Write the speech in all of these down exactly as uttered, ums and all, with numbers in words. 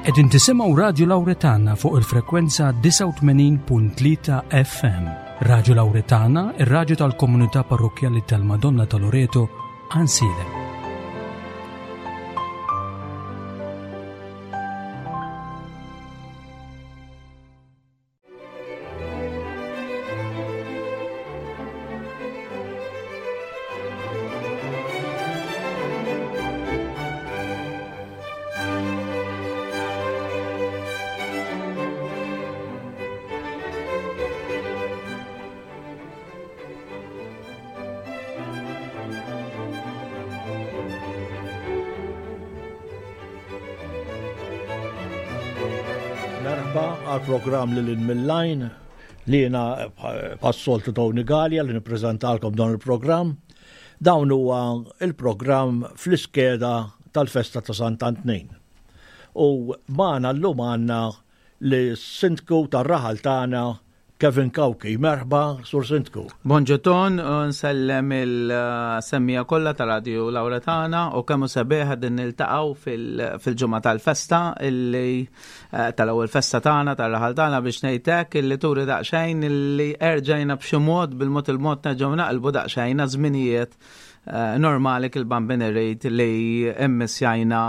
Qegħdin tisimgħu Radio Lauretana fuq il-frekwenza disgħa u tmenin punt tlieta F M. Radio Lauretana, ir-radju tal-komunità parrokkjali tal-Madonna ta' Loreto, Għajnsielem. Merħba għal programm Lil Hinn mill-Għajn li jiena bħas-soltu Tony Gallia li nippreżentalkom dan il-programm. Dawn huwa il-programm fl-iskeda tal-festa ta' Sant'Antnin. U magħna llum għandna lis-sindku tar-raħal tagħna, Kevin Cauchi. Merħba, Sur Sindku. Bonġu Ton, u nsellem il-semmiegħa kollha ta' Radio Lauretana u kemm hu sabiħ din niltaqgħu fil-ġimgħa tal-festa illi eh, tal-ewwel festa tagħna tar-raħal tagħna, biex ngħidlek illi turi daqsxejn illi erġajna b'xi mod, bil-mod il-mod nerġgħu naqilbu daqsxejn żminijiet eh, normali kil-bambin irrid li immissjajna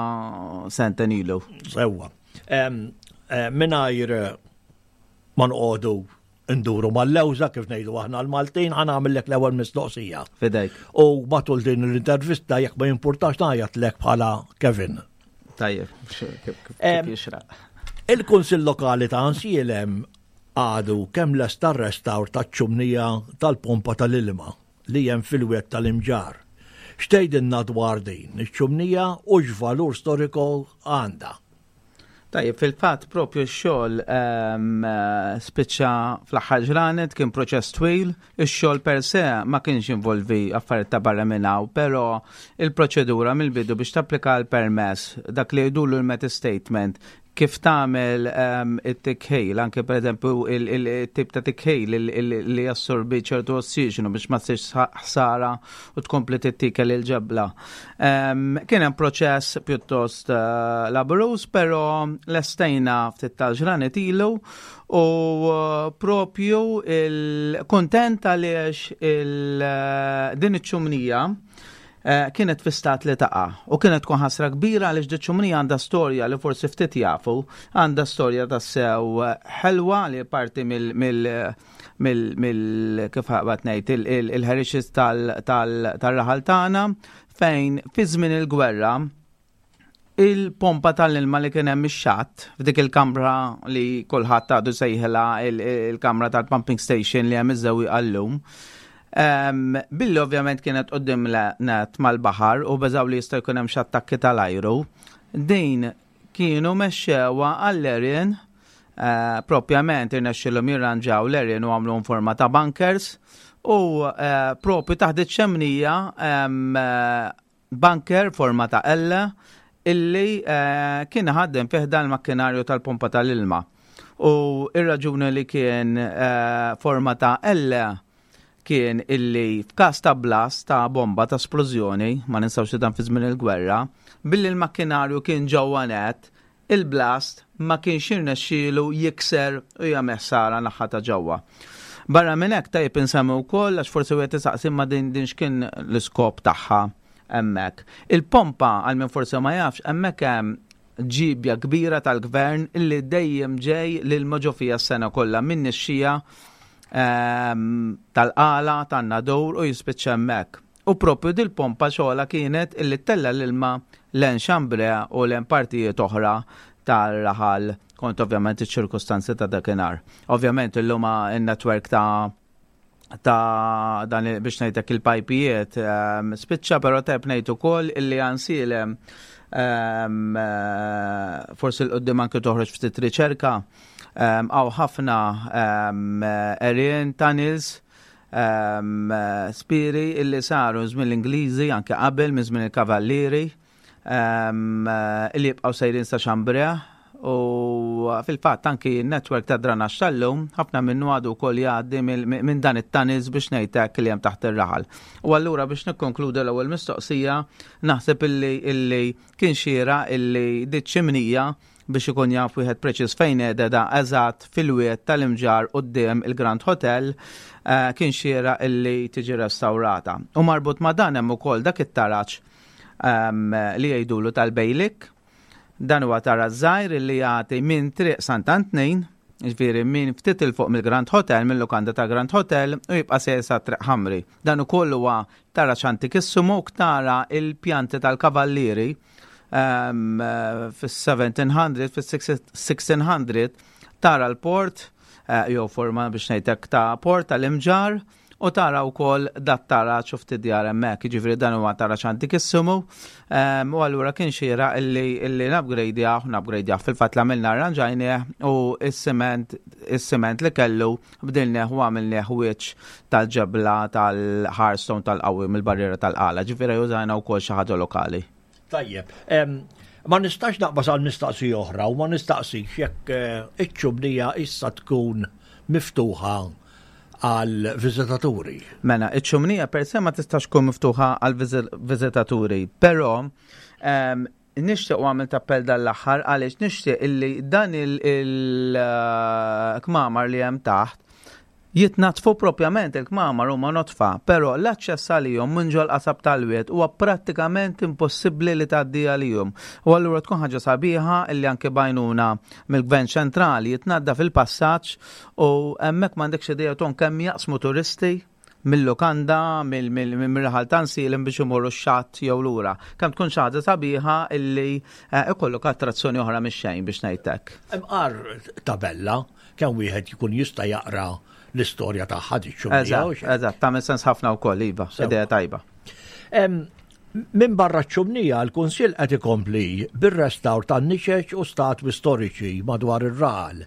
sentejn ilu. Sewwa. Mingħajr ma noqogħdu nduru mal-lewża, kif ngħidu aħna l-Maltin, ħa nagħmellek l-ewwel mistoqsija. Fidejk. U matul din l-intervista, jekk ma jimpurtax, ngħajjatlek bħala Kevin. Tajjeb, kif kif jixraq. Il-Kunsill Lokali ta' Għajnsielem għadu kemm lesta restawr ta' ċumnija tal-pompa tal-ilma li hemm fil-wied tal-Imġarr. X'tgħidilna dwar din iċ-ċumnija u x'valur storiku għandha? Tajjeb, fil-fatt propju x-xogħol ehm, spiċċa fl-aħħar ġranet, kien proċess twil, ix-xogħol per se ma kienx involvi affarijiet ta' barra minn hawn, però il-proċedura mill-bidu biex tapplika l-permess, dak li jgħidulu l-method statement, kif tagħmel um, it-tikħil, anke per eżempju il-tip ta' tikħil li jassorbi ċertu ossiġenu biex ma ssirx ħsara u tkompli tittikel il-ġebla. Um, kien hemm proċess pjuttost uh, laboruż, però lestejna ftit tal-ġranet ilu u uh, propju il-kontent għaliex il, uh, din iċ-ċumnija Eh, kienet fi stat li taqa' u kienet tkun ħasra kbira għaliex diċ-ċumnija għandha storja li forsi ftit jafu, għandha storja ta' sew ħelwa li parti mill mill mill mill kif ħaqbat ngħid, il-heritage tal-raħal tagħna, fejn fi żmien il-gwerra il-pompa tal-ilma li kien hemm ix-xatt f'dik il-kamra li kulħadd għadu sejħilha il-kamra tal-pumping station li hemm iż-żewwieqa llum. Um, billi ovvjament kienet quddiem net mal-baħar u beżaw li jista' jkun hemm xi attakki tal-ajru, din kienu mexxewha għall-għerien, uh, propjament irnexxilhom jirranġaw l-għerien u għamlu forma ta' bunkers u uh, propju taħt iċ-ċemnija um, bunker forma ta' L illi uh, kien ħaddem fih dan il-makkinarju tal-pompa tal-ilma. U ir-raġuni li kien uh, forma ta' L kien illi f'każ ta' blast, ta' bomba, ta' splużjoni, ma ninsawx dan fi żmien il-gwerra, billi l-makkinarju kien ġewwa net, il-blast ma kienx jirnexxielu jikser u jagħmel ħsara naħa ta' ġewwa. Barra minn hekk, tajjeb insemmi wkoll, għax forsi wieħed isaqsi ma din din x'kien l-iskop tagħha hemmhekk. Il-pompa, għal min forsi ma jafx, hemmhekk hemm ġibja kbira tal-gvern illi dejjem ġej lil ġo fiha s-sena kollha minn nixxija ehm, tal-Qala, tan-Nadur, u jispiċċa hemmhekk. U propju dil-pompa xogħla kienet illi ttella' l-ilma lejn Chambray u lejn partijiet oħra tal-raħal, kont ovvjament iċ-ċirkustanzi ta' dakinhar. Ovvjament illum il-network ta' ta' dan, biex ngħidlek, il-pajpijiet um, spiċċa, però tajjeb ngħid ukoll illi Għajnsielem um, forsi 'l quddiem anke toħroġ ftit riċerka, hawn um, ħafna għerien, tunnels, um, spiri illi saru żmien l-Ingliżi, anke qabel, minn żmien il-Kavallieri, um, illi jibqgħu sejrin sa Chambray, u fil-fatt anki n-network ta' dranaġġ tal-lum ħafna minnu għadu wkoll jgħaddi minn dan it-tunnels, biex ngħidlek, li hemm taħt ir-raħal. U allura biex nikkonkludu l-ewwel mistoqsija, naħseb illi illi kien xieraq illi diċ-ċimnija Biex ikun jaf wieħed preċiż fejn qiegħda, eżatt fil-wied tal-Imġarr quddiem il-Grand Hotel, eh, kien xieraq illi tiġi restaurata. U marbut ma' dan hemm ukoll dak it-taraġ ehm, li jgħidulu tal-Bejlik. Dan huwa taraġ żgħir illi jagħti minn Triq Sant'Antnin, ġifieri minn ftit 'il fuq mill-Grand Hotel, mill-lukanda ta' Grand Hotel, u jibqa' sejjer sa Triq Ħamri. Dan ukoll huwa taraġ antikissimu u tara il-pjanti tal-kavallieri um, fis-seventeen hundred, fis-sixteen hundred, tara l-port, uh, jew forma biex ngħidlek ta' port tal-Imġarr, u tara wkoll dat taraġ u ftit djar hemmhekk, jiġifieri dan huwa taraġ antikissimu, um, u allura kien xieraq illi illi nupgradejaw, nupgradejaw fil-fatt l-għamilna arranġajnieh u is-siment is-siment li kellu bdilnieh u għamilnieh wiċċ tal-ġebla tal-hardstone tal-qawwi mill-barriera tal-Qala, ġifieri użajna wkoll xi ħaġa lokali. Tajjeb, em, ma nistax naqbas għal mistaqsija oħra u ma nistaqsix jekk eh, iċ-ċumnija issa tkun miftuħa għal viżitaturi. Mela, iċ-ċumnija per se ma tistax tkun miftuħa għal viżitaturi, però um, nixtieq u għamilt appell dal-aħħar għaliex nixtieq illi dan il-kmamar li hemm taħt jitnatfu propjament. Il-kmamar huma notfa, però l-aċċess għalihom minn ġol qasab tal-wied huwa prattikament impossibbli li tgħaddi għalihom. U allura tkun ħaġa sabiħa illi anke b'għajnuna mill-Gvern ċentrali jitnaddaf il-passaġġ u hemmhekk m'għandekx idea ton kemm jaqsmu turisti mill-lukanda, mill-raħal ta' Għajnsielem biex imorru x-xatt jew lura. Kemm tkun xi ħaġa sabiħa illi eh, ikollok attrazzjoni oħra mix-xejn biex ngħidlek. Imqar tabella kemm wieħed jkun jista' jaqra l-istorja tagħha di ċumnija. Eżatt, eżatt, tagħmel sens ħafna wkoll, iva, Sewa. Idea tajba. Minn barra ċ-ċumnija, l-Kunsill qed ikompli bir-restawr tan-niċeċ u statwi storiċi madwar ir-raħal.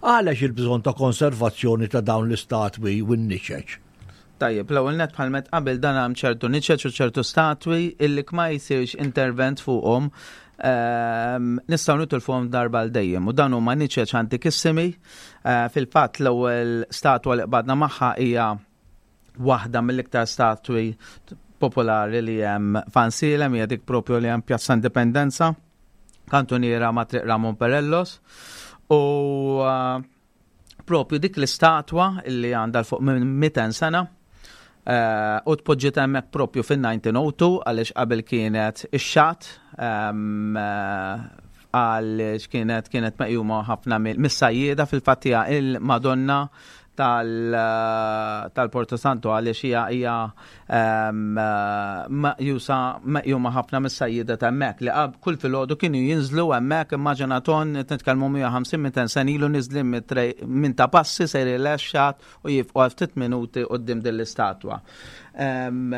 Għalex il-bżonn ta' konservazzjoni ta' dawn l-istatwi u n-niċeċ? Tajjeb, l-ewwel net, bħal met qabel dan hemm ċertu niċeċ u ċertu statwi illi ma jsirx intervent fuqhom ehm, nistgħu nitilfuhom darba għal dejjem u dan huma niċeċ antikissimi. Eh, Fil-fatt l-ewwel statwa li qbadna magħha hija waħda mill-iktar statwi popolari li hemm f'Għajnsielem, hija dik propju li hemm Pjazza Indipendenza, kantuniera ma' Triq Ramon Perellos. U uh, propju dik l-istatwa illi għandha 'l fuq minn mitejn sena eh, u tpoġġiet hemmhekk propju fin-elf disa' mija u tnejn għaliex qabel kienet ix-xatt ehm, eh, għaliex kienet kienet meqjuma ħafna mill- mis-sajjieda. Fil-fatt hija il-Madonna tal- eh, tal-Porto Santo għaliex hija hija ehm, eh, meqjusa meqjuma ħafna mis-sajjieda ta' hemmhekk li qab kull filgħodu kienu jinżlu hemmhekk. Immaġina ton, nitkellmu mija u ħamsin mitejn sena ilu, niżlin mit-trej- minn Ta' Passi sejrin lix-xatt u jieqfu għal ftit minuti quddiem din l-istatwa. Em,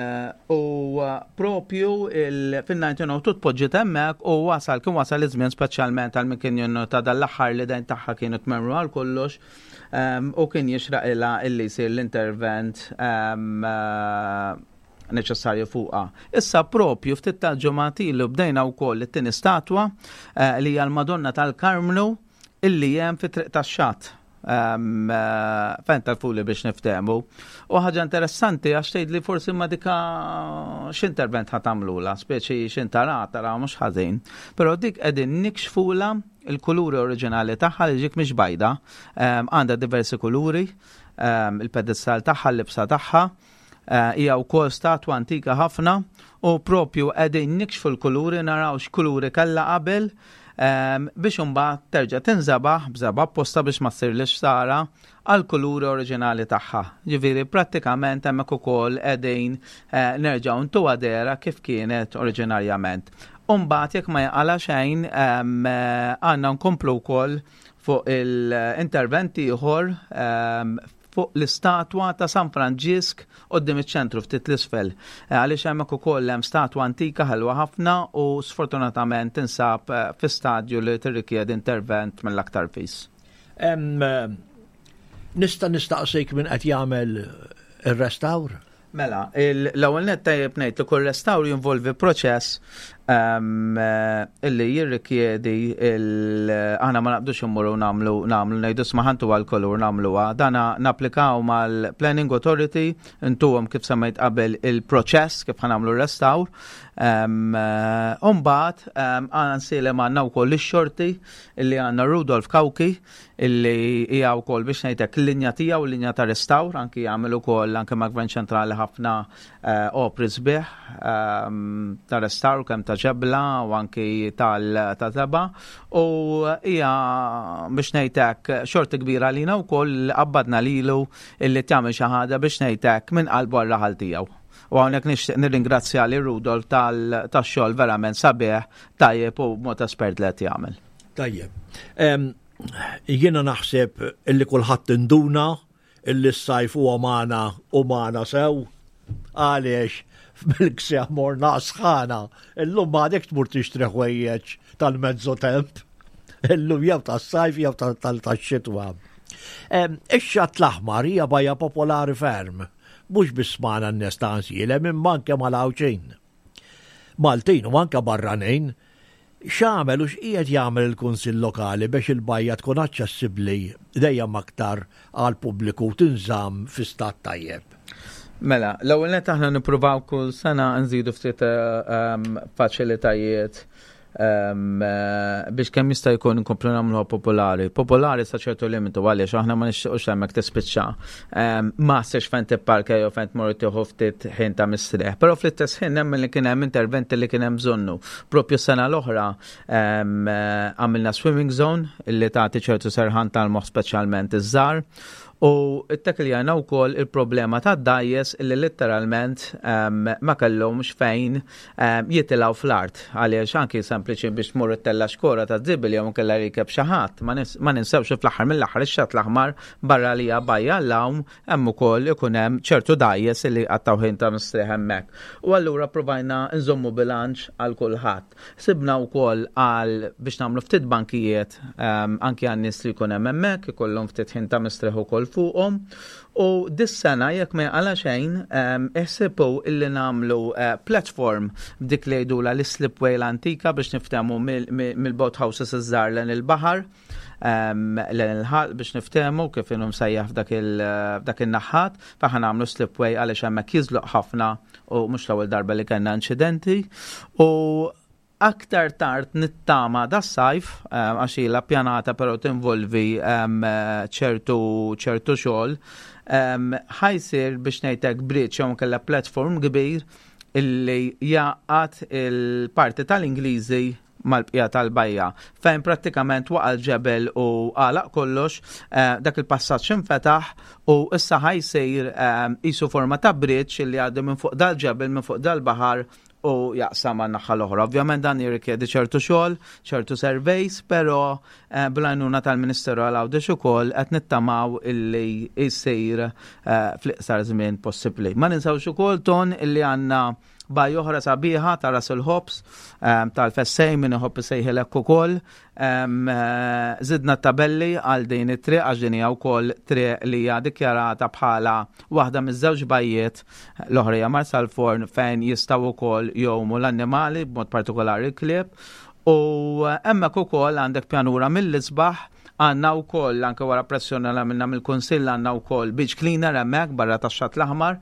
U uh, propju fil-elf disa' mija u tnejn tpoġġiet hemmhekk u wasal kien wasal iż-żmien, speċjalment għal min kien jinnota dal-aħħar li dejn tagħha kienu tmerru għal kollox em, u kien jixraq ilha illi jsir l-intervent em, eh, neċessarju fuqha. Issa propju ftit tal-ġimgħat ilu bdejna wkoll it-tieni statwa eh, li hija l-Madonna tal-Karmnu illi hemm fi Triq tax-Xatt. Um, uh, fejn tal-fuli biex niftehmu. U ħaġa interessanti għax tgħid li forsi ma dika x'intervent ħa tagħmlulha, speċi x'intara tara mhux ħażin. Però dik qegħdin nikxfula il-kuluri oriġinali tagħha li ġik mhix bajda, um, għandha diversi kuluri, um, il-pedestal tagħha, l-libsa tagħha, Eh, hija wkoll statwa antika ħafna u propju qegħdin nikxfu l-kuluri, naraw x'kuluri kellha qabel em, biex imbagħad terġa' tinżabaħ b'żebgħa apposta biex ma ssirlix ħsara għal kuluri oriġinali tagħha. Ġifieri prattikament hemmhekk ukoll qegħdin eh, nerġgħu ntuha dehra kif kienet oriġinarjament. Umbagħad jekk ma jaqala xejn em, eh, għandna nkomplu wkoll fuq il-interventi ieħor em, fuq l-istatwa ta' San Franġisk quddiem iċ-ċentru ftit 'l isfel. Eh, Għaliex hemmhekk ukoll hemm statwa antika ħelwa ħafna u sfortunatament tinsab eh, fi stadju li tirrikjed intervent mill-aktar fis. Em, eh, Nista' nistaqsik min qed jagħmel ir-restawr? Mela, il- l-ewwel net tajjeb ngħid li kull restawr jinvolvi proċess Illi jirrikjedi il aħna ma naqbdux immorru nagħmlu nagħmlu ngħidu smaħantu għal-kolur nagħmluha. Dana napplikaw mal-Planning Authority, intuhom kif semmejt qabel il-proċess kif ħa nagħmlu restawr. Umbagħad għan għandna wkoll ix-xorti illi għandna Rudolf Cauchi, illi hija wkoll, biex ngħidlek, l-linja tiegħu, l-linja ta' restawr, anki jagħmel ukoll anke ma' Gvern Ċentrali ħafna eh, opri sbieħ ehm, ta' restawr, kemm ta' ġebla u anki tal teba, u hija, biex ngħidlek, xorti kbira lina wkoll qabbadna lilu illi tagħmel xi ħaġa, biex ngħidlek, minn qalbu għar-raħal tiegħu. U hawnhekk nixtieq nirringrazzja li Rudolf tal-xogħol verament sabiħ, tajjeb u mod espert li qed jagħmel. Tajjeb. Jiena naħseb illi kulħadd induna illi s-sajf huwa magħna u magħna sew, għaliex bil-ksieħ morna sħana. Illum m'għadek tmur tixtri ħwejjeġ tal-mezzo temp. Illum jew tas-sajf jew tax-xitwa. Ix-Xatt l-Aħmar hija bajja popolari ferm, mhux biss magħna n-nies ta' Għajnsielem imma anke mal-Għawdxin, Maltin u anke barranin. X'għamel u x'qiegħed jagħmel il-Kunsill Lokali biex il-bajja tkun aċċessibbli dejjem aktar għal pubbliku u tinżamm fi stat tajjeb? Mela, l-ewwel net aħna nippruvaw kull sena nżidu ftit um, faċilitajiet um, eh, biex kemm jista' jkun nkomplu nagħmluha popolari. Popolari sa ċertu limitu, għaliex aħna ma nixtiequx hemmhekk tispiċċa um, ma ssibx fejn tipparka jew fejn tmur tieħu ftit ħin ta' mistrieħ. Però fl-istess ħin nemmen li kien hemm interventi li kien hemm bżonnu. Propju sena l-oħra um, eh, għamilna swimming zone illi tagħti ċertu serħan tal-moħħ, speċjalment iż-żgħar. U it-tekljana u koll il-problema ta' dgħajjes illi literalment um, ma kellhomx fejn um, jitilgħu fl-art. Għaliex anki sempliċi biex tmur ittella' xkora ta' żibel jew kella rikeb xi ħadd. Ma nis- ma ninsewx fl-aħħar mill-aħħar ix-Xatt l-Aħmar, barra li hija bajja l-għawm, hemm ukoll ikun hemm ċertu dgħajjes illi qattgħu ħin ta' mistrieħ hemmhekk. U allura provajna nżommu bilanċ għal kulħadd. Sibna wkoll għal biex nagħmlu ftit bankijiet um, anki għan nies li jkun hemm hemmhekk, ikollhom ftit ħin ta' mistrieħ ukoll fuqhom. U dis-sena, jekk ma għala xejn, um, iħsibu illi nagħmlu uh, platform b'dik li jgħidula l-slipway l-antika, biex niftehmu, mill-boat houses iż-żgħar lejn il-baħar, um, lejn il-ħalq, biex niftehmu kif inhu msejjaħ f'dak il- f'dak in-naħat, faħna nagħmlu slipway għaliex hemmhekk jiżloq ħafna u mhux l-ewwel darba li kellna inċidenti. U aktar tard nittama das-sajf, eh, għax ilha pjanata però tinvolvi em, ċertu ċertu xogħol, em, ħa jsir, biex ngħidlek, bridge jew kellha platform kbir illi jgħaqqad il-parti tal-Ingliżi mal-bqija tal-bajja, fejn prattikament waqa' l-ġebel u għalaq kollox, eh, dak il-passaġġ infetaħ u issa ħa jsir eh, qisu forma ta' bridge illi għaddi minn fuq dal-ġebel, minn fuq dal-baħar u jaqsam għan naħa l-oħra. Ovvjament dan jirrikjedi ċertu xogħol, ċertu surveys, però eh, bl-għajnuna tal-Ministeru għal Għawdex ukoll qed nittamaw illi jsir eh, fl-iqsar żmien possibbli. Ma ninsawx ukoll ton illi għandna bajja oħra sabiħa ta' Ras il-Ħobż, um, tal-Fessej, min iħobb isejħilek ukoll. Um, eh, Zidna tabelli għal din it-triq għax din hija wkoll triq li hija dikjarata bħala waħda miż-żewġ bajjiet, l-oħra hija Marsalforn, fejn jistgħu wkoll jgħumu l-annimali, b'mod partikolari l-klieb. U hemmhekk ukoll għandek pjanura mill-isbaħ. Għandna wkoll, anke wara pressjoni li għamilna mill-Kunsill, għandna wkoll beach cleaner hemmhekk barra tax-Xatt l-Aħmar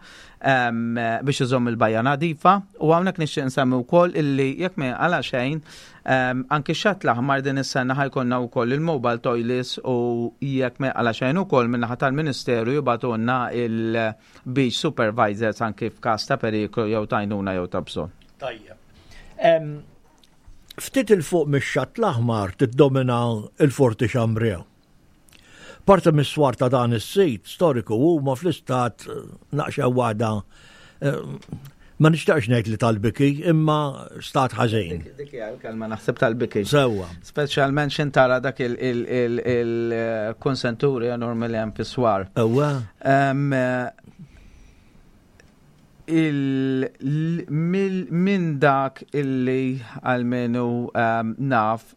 em, biex iżomm il-bajja nadifa. U hawnhekk nixtieq nsemmi wkoll illi jekk ma għala xejn em, anke x-Xatt l-Aħmar din is-sena ħa jkollna wkoll il-mobile toilets u jekk ma għala xejn ukoll min-naħa tal-Ministeru jibagħtulna il-beach supervisors anke f'każ ta' periklu jew t'għajnuna jew ta' bżonn. Tajjeb. Em, Ftit 'il fuq mix-Xatt l-Aħmar tiddomina il-Forti Chambray. Parti mis-swar ta' dan is-sit storiku huma fl-istat eh, naqxa waħda, eh, ma nixtaqx ngħid li tal-biki, imma stat ħażin. Dik hija l-kelma, naħseb, tal-biki. Sewwa. Speċjalment xin tara dak il-konsenturi enormi li hemm fis-swar. Ewwa. Em, eh, il- l- mill- Minn dak illi għalmenu em, naf,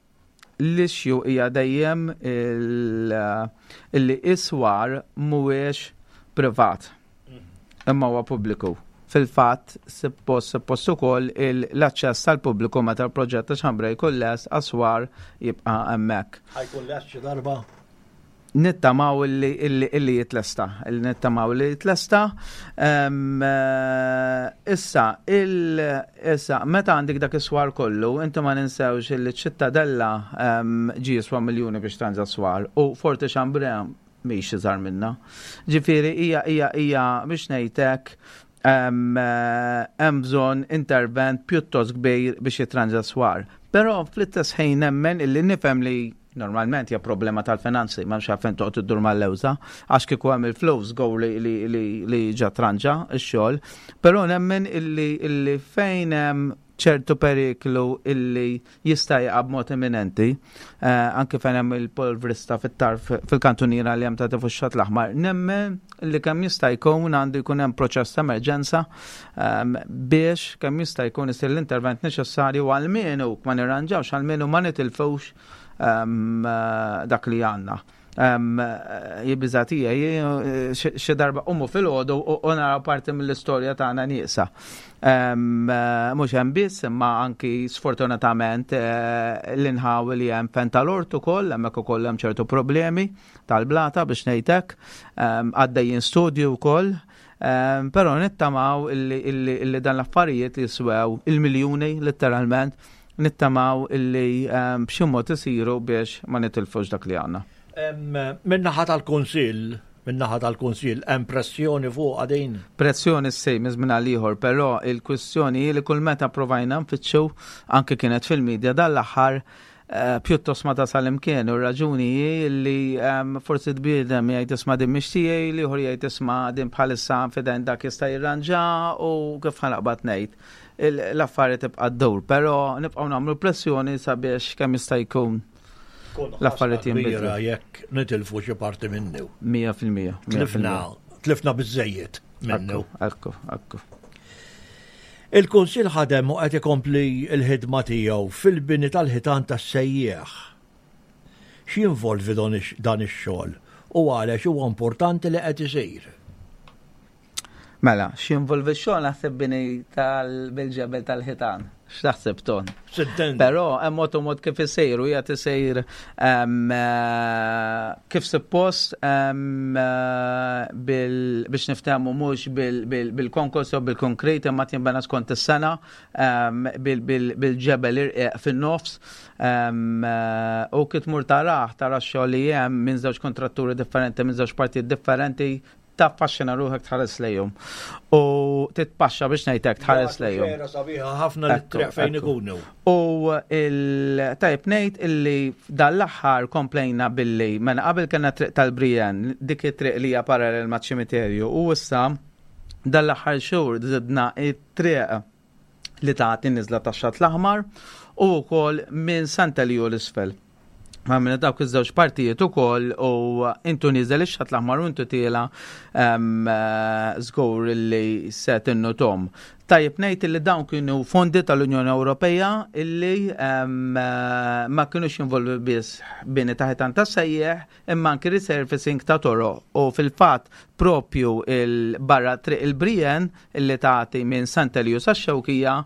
l-issue hija dejjem il- illi is-swar mhuwiex privat imma huwa pubbliku. fil-fatt suppost suppost ukoll l-aċċess tal-pubbliku meta l-proġett ta' Chambray jkun lest għas-swar jibqa' hemmhekk. Ħa jkun lest xi darba? Nittamaw illi, illi, illi jitlesta, illi nittamaw illi jitlesta. Um, issa, il, issa, meta għandek dak is-swar kollu, inti ma ninsewx illi ċittadella um, ġi jiswa miljuni biex tranġa swar u Forti Chambray mhix iżgħar minna. Ġifieri hija hija hija biex ngħidlek hemm bżonn intervent pjuttost kbir biex jitranġa swar. Però fl-istess ħin nemmen illi nifhem li normalment hija problema tal-finanzi, ma mx għalfejn toqgħod iddur mal-lewża, għax kieku hemm il-flus go li, li, li, li ġa tranġa x-xogħol, però nemmen illi, illi fejn hemm ċertu periklu illi jista' jaqa' b'mod imminenti, eh, anke fejn hemm il-polvrista fit-tarf fil-kantuniera li hemm ta' tifuxxat l-aħmar, nemmen illi kemm jista' jkun għandu jkun hemm proċess ta' emerġenza um, biex kemm jista' jkun isir l-intervent neċessarju għalmenu ma nirranġawx, għalmenu ma nitilfux um, dak li għandna. Um, jibizatija, xi darba umu fil-ħodu u naraw parti mill-istorja tagħna nieqsa. Um, mhux hemm biss, imma anki sfortunatament uh, l-inħawi li hemm fen tal-ort ukoll, hemmhekk ukoll hemm ċertu problemi tal-blata biex ngħidlek, um, għaddejjin studju wkoll. Um, però nittamaw illi, illi, illi dan l-affarijiet li jiswew il-miljuni letteralment, nittamaw illi um, b'xi mod isiru biex ma nitilfux dak li għandna. Min-naħa tal-Kunsill, min-naħa tal-Kunsill, hemm pressjoni fuq għadin? Pressjoni ssej minn żmien għal ieħor, però il-kwistjoni hi li kull meta provajna nfittxu anke kienet fil-medja dal-aħħar eh, pjuttost ma tasal imkien u raġuni hi li um, forsi tbiedem jgħid isma' din mhix tiegħi, l-ieħor jgħid isma' din bħalissa f'idejn dak jista' jirranġa u kif ħa naqbad ngħid. L-affarijiet tibqa' ddur, però nibqgħu nagħmlu pressjoni sabiex kemm jista' jkun l-affarijiet jinbidlu. Jekk nitilfu xi parti minnu. Mija fil-mija. Tlifna, tlifna biżejjed minnu. Ekku, ekku. Il-Kunsill ħadem u qed ikompli l-ħidma tiegħu fil-bini tal-ħitan tas-sejjieħ. X'jinvolvi dan ix-xogħol u għaliex huwa importanti li qed isir? Mela, x'jinvolvi x-xogħol naħseb bini tal-bil-ġebel tal-ħitan. X'taħseb ton? Sitten. Però hemm mod u mod kif isir u qiegħed isir kif suppost biex niftehmu mhux bil-konkos jew bil-konkret imma tinbena skont is-sena bil-ġebel irqiq fin-nofs u kif tmur tarah tara x-xogħol li hemm minn żewġ kontratturi differenti minn żewġ partijiet differenti taffaxxina ruħek tħares lejhom. U titpaxxa biex ngħidlek tħares lejhom. Xejra sabiħa ħafna li triq fejn ikunu. U il-tajb ngħid illi dal-aħħar komplejna billi mela qabel kellna triq tal-Brian, dik it-triq li hija parallel maċ-ċimiterju, u issa dal-aħħar xhur żidna it-triq li tagħti niżla tax-Xatt l-Aħmar u wkoll minn Sant'Elju l-isfel. Ma minna dawk iż-żewġ partijiet ukoll u intu niżel ix-Xatt l-Aħmar u intu tiela żgur li se tinnutom. Tajjeb ngħid li dawn kienu fondi tal-Unjoni Ewropea illi ma kienux jinvolvi biss bini ta' ħitan ta' sejjeħ imma anki resurfacing ta' toroq u fil-fatt propju il-barra triq il-Brian illi tagħti minn Sant'Elju sax-Xewkija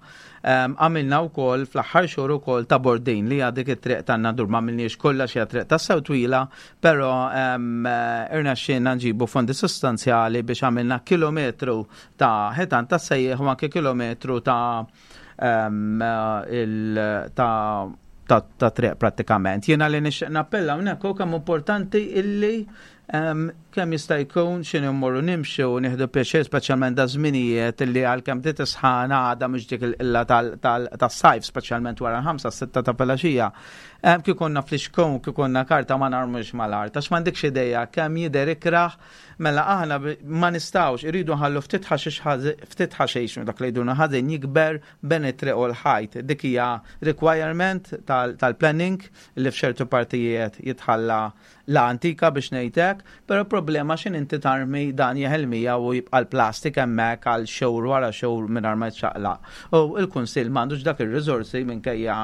għamilna wkoll fl-aħħar xhur ukoll ta' Bordin li għadik it-triq tan-Nadur ma għamilniex kollha xi triq ta' sew twila, però irnexxielna nġibu fondi sostanzjali biex għamilna kilometru ta' ħitan ta' sejjeħ u anke kilometru ta' il ta' ta' ta' triq prattikament. Jiena li nixtieq nappella hawnhekk hu kemm importanti illi kemm jista' jkun x'inhu mmorru nimxu u nieħdu pjaċir speċjalment da żminijiet illi għalkemm bdiet isħana għadha mhux dik il-qilla tas-sajf speċjalment wara l-ħamsa sitta ta' filgħaxija. Kif konna fl-ixkun, kif konna karta ma narmux mal-art, għax m'għandekx idea kemm jidher ikrah, mela aħna ma nistgħux iridu nħallu ftit ħaxix ħażin, ftit ħaxix dak li jduna ħażin jikber bejn it-triq u l-ħajt. Dik hija requirement tal-planning li f'ċertu partijiet jitħalla la antika biex ngħidlek, però problema x'in inti tarmi dan jeħel miegħu u jibqa' l-plastik hemmhekk għal xhur wara xhur mingħajr ma jitċaqlaq. U il-Kunsill m'għandux dak ir-riżorsi, minkejja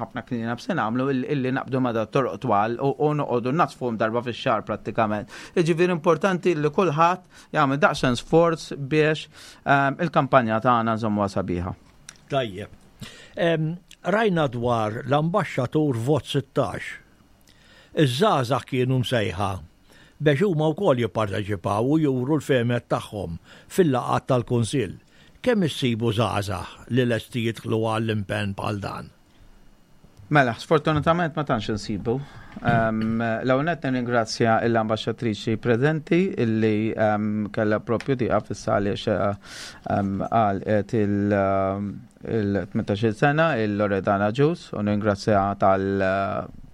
ħafna clean ups se nagħmlu, illi naqbdu ma toroq twal u noqogħdu naddfuhom darba fix-xahar prattikament. Jiġifieri importanti li kulħadd jagħmel daqsxejn sforz biex ehm, il-kampanja tagħna nżommuha sabiħa. Tajjeb. Rajna dwar l-ambaxxatur Vot sittax. Iż-żgħażagħ kienu msejħa biex huma wkoll jipparteċipaw u juru l-fehmiet tagħhom fil-laqgħat tal-Kunsill. Kemm issibu żgħażagħ li lesti jidħlu għall-impenn bħal dan? Mela, sfortunatament ma tantx insibu. L-ewwel nett nirringrazzja l-ambaxxatriċi preżenti illi kellha propju tieqaf issa għaliex għalqet il-tmintax-il sena, il-Loredana Ġus, u nirringrazzja tal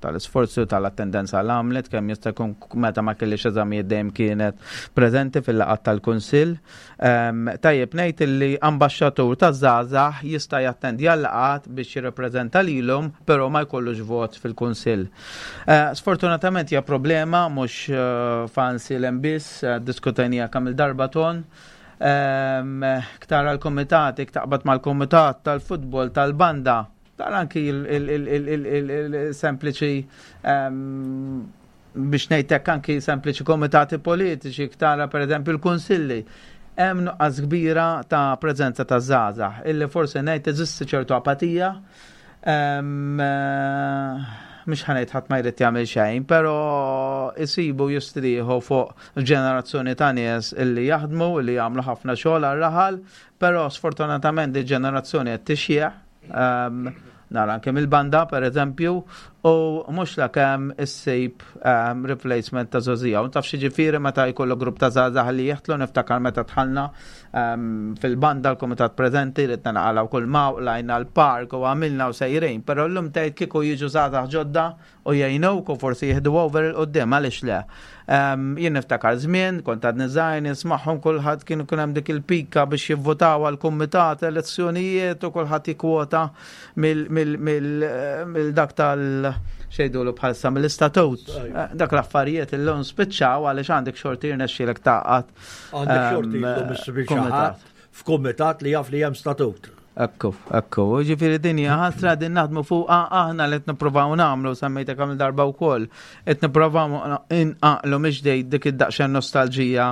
tal-isforzu tal-attendenza l għamlet kemm jista' jkun meta ma kellix eżamijiet dejjem kienet preżenti fil-laqgħat tal-Kunsill. Tajjeb ngħid li ambaxxatur taż-żgħażagħ jista' jattendi għal-laqgħat biex jirrappreżenta lilhom, però ma jkollux vot fil-Kunsill. Eh, sfortunatament hija problema mhux eh, f'Għajnsielem biss, eh, diskutejnija kemm il-darba ton. Ktara l-komitati, taqbad mal-komitat tal-futbol, tal-banda, tara anki il-sempliċi, biex ngħidlek, anki sempliċi komitati politiċi, tara per eżempju l-kunsilli. Hemm nuqqas kbira ta' preżenza ta' żgħażagħ, illi forsi ngħid teżisti ċertu apatija. Mhux ħa ngħid ħadd ma jrid jagħmel xejn, però isibu jistrieħu fuq ġenerazzjoni ta' nies illi jaħdmu, illi jagħmlu ħafna xogħol għar-raħal, però sfortunatament di ġenerazzjoni qed tixjieħ. Nara anke mill-banda, per eżempju, u mhux la kemm issib um, replacement ta' żgħożija. U taf ġifieri meta jkollu grupp ta' żgħażagħ li jeħtlu, niftakar meta dħalna um, fil-banda l-komitat preżenti ridna naqalgħu kull maw lajna l-park u għamilna u sejrin, però llum tgħid kieku jiġu żgħażagħ ġodda u jgħinuk u forsi jieħdu over 'il quddiem, għaliex le. Um, jien niftakar żmien, kont għadni żgħir, nismagħhom kulħadd kienu kien hemm dik il-pika biex jivvotaw għal kumitat, elezzjonijiet u kulħadd jikkwota mill dak tal xejdulu bħalsa mill-istatut. Dak l-affarijiet illum spiċċaw għaliex għandek xorti jirnexxielek tgħaqqad. Għandek xorti illum issib f'kumitat li jaf li hemm statut. Ekku, ekku, ġifieri din hija ħasra, din naħdmu fuq aħna li qed nippruvaw nagħmlu, semmejta kemm darba wkoll, qed nippruvaw inqaqlu miġdejt dik id-daqsxejn nostalġija,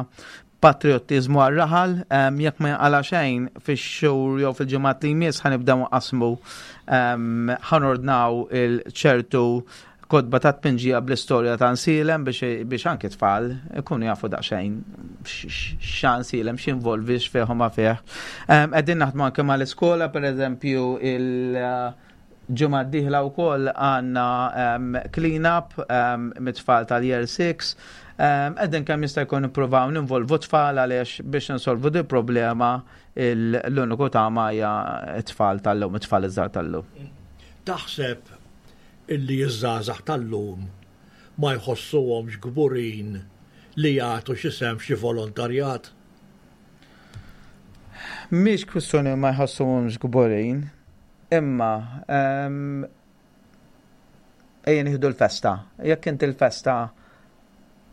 patriotizmu għal-raħal, jekk ma jinqala xejn fix-xhur jew fil-ġimgħat li jmiss ħa nibdew nqasmu, ħa nordnaw il-ċertu kotba ta' tpinġija bl-istorja ta' Għajnsielem biex anki tfal ikunu jafu daqsxejn x'Għajnsielem, x'involvi, x'fih ma fih. Qegħdin naħdmu anke mal-iskola, per eżempju, il- ġimgħa d-dieħla wkoll għandna clean up mit-tfal tal-year six. Qegħdin kemm jista' jkun nippruvaw ninvolvu tfal għaliex biex insolvu di problema l-uniku tama hija t-tfal tal-lum, it-tfal iż-żgħar tal-lum. Taħseb illi iż-żgħażagħ tal-lum ma jħossuhomx kburin li jagħtu xi sehem xi volontarjat? Mhix kwistjoni ma jħossuhomx kburin, imma ejja nieħdu l-festa. Jekk inti l-festa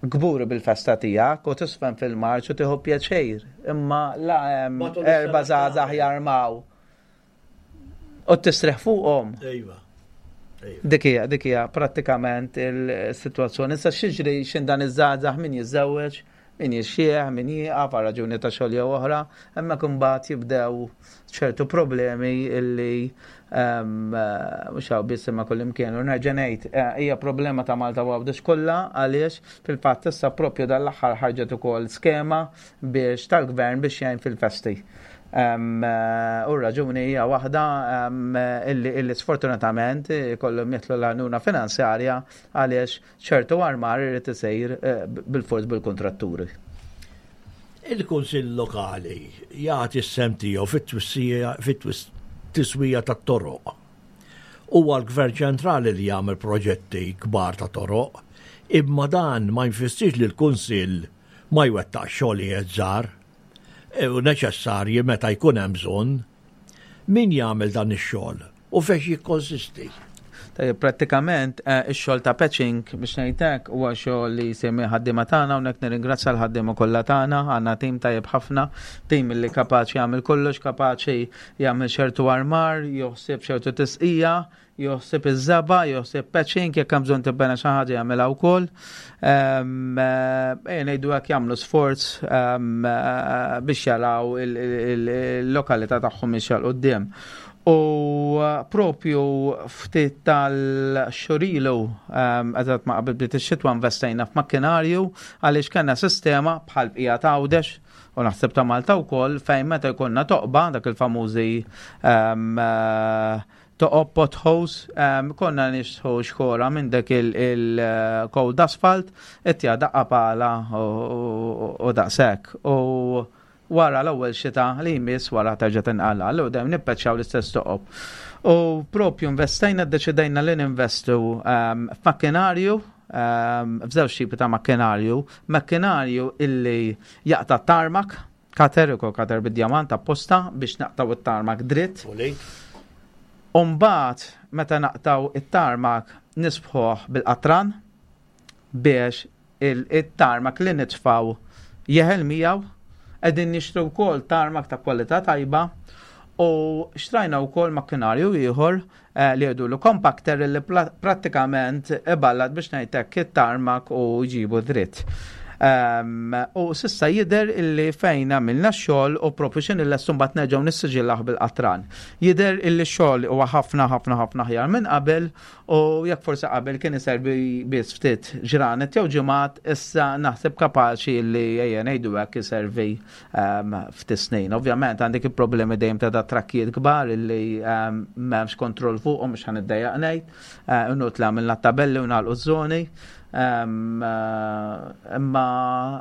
kburi bil-festa tiegħek u tiżfen fil-marċ u tieħu pjaċir, imma la hemm erba' żgħażagħ jarmaw u tistrieħ fuqhom. Ejwa. Dik hija, dik hija prattikament il-sitwazzjoni. Issa x'jiġri x'in dan iż-żgħażagħ, min jiżżewweġ, min jixxieħ, min jieqaf għal raġuni ta' xogħol jew oħra, hemmhekk imbagħad jibdew ċertu problemi illi mhux hawn biss imma kullimkien. U nerġa' ngħid, eh, hija problema ta' Malta u Għawdex kollha għaliex fil-fatt issa propju dal-aħħar ħarġet ukoll skema biex tal-gvern biex jgħin fil-festi. Eh, u raġuni hija waħda illi, illi sfortunatament kollhom jitlu l-għajnuna finanzjarja għaliex ċertu armar irid isir eh, bil-fors bil-kontratturi. Il-Kunsill Lokali jagħti s-sehem tiegħu fit-tiswija tat-toroq. Huwa l-Gvern ċentrali li jagħmel proġetti kbar ta' toroq, imma dan ma jfissirx li l-Kunsill ma jwettaq xogħlijiet żgħar u neċessarji meta jkun hemm bżonn. Min jagħmel dan ix-xogħol u fejn jikkonsisti? Tajjeb, prattikament eh, ix-xogħol ta' patching biex ngħidlek huwa xogħol li jsir ħaddiema tagħna, hawnhekk nirringrazzja l-ħaddiema kollha tagħna, għandna tim tajjeb ħafna, tim li kapaċi jagħmel kollox, kapaċi jagħmel ċertu armar, joħsib ċertu tisqija, joħsib iż-żebgħa, joħsib patching, jekk hemm bżonn tibbena xi ħaġa jagħmilha wkoll. Ehm, eh, Ejja ngħidu hekk, jagħmlu sforz ehm, eh, biex jaraw il-lokalità tagħhom mixja 'l quddiem. U uh, propju ftit tax-xhur ilu, um, eżatt ma qabel bdiet ix-xitwa, investejna f'makkinarju għaliex kellna sistema bħal bqija ta' Għawdex u naħseb ta' Malta wkoll, fejn meta jkollna toqba, dak il-famużi um, uh, toqob, potholes, um, konna nixtħu xkora minn dak il-cold asphalt, ittija daqqa pala u u daqshekk. U wara l-ewwel xita li jmiss wara terġa' tinqala, allura dejjem nippeċċjaw l-istess toqob. U propju investejna, ddeċidejna li ninvestu um, f'makkinarju, um, f'żewġ tipi ta' makkinarju, makkinarju illi jaqta' tarmac, cutter, ukoll cutter bid-djamant apposta biex naqtaw it-tarmac dritt. Umbagħad, meta naqtaw it-tarmac, nisbħuh bil-qatran biex il-tarmac li nitfaw jeħel miegħu. Qegħdin nixtru wkoll tarmac ta' kwalità tajba u xtrajna wkoll makkinarju ieħor eh, li jgħidulu compactor, li prattikament iballat, biex ngħidlek, it-tarmac u jġibu dritt. Um, u s'issa jidher illi fejn għamilna xogħol u propju xin il-lessun bat nerġgħu nissiġillaħ bil-qatran. Jidher illi xogħol huwa ħafna ħafna ħafna ħjar minn qabel, u jekk forsi qabel kien iservi biss ftit ġranet jew ġimgħat, issa naħseb kapaċi li, ejja ngħidu hekk, iservi um, ftit snin. Ovvjament għandek il-problemi dejjem ta' da trakkijiet kbar illi um, m'hemmx kontroll fuqhom, mhux ħa niddejjaq ngħid. Uh, Inutli għamilna tabelli u nagħlqu żoni. Um, uh, imma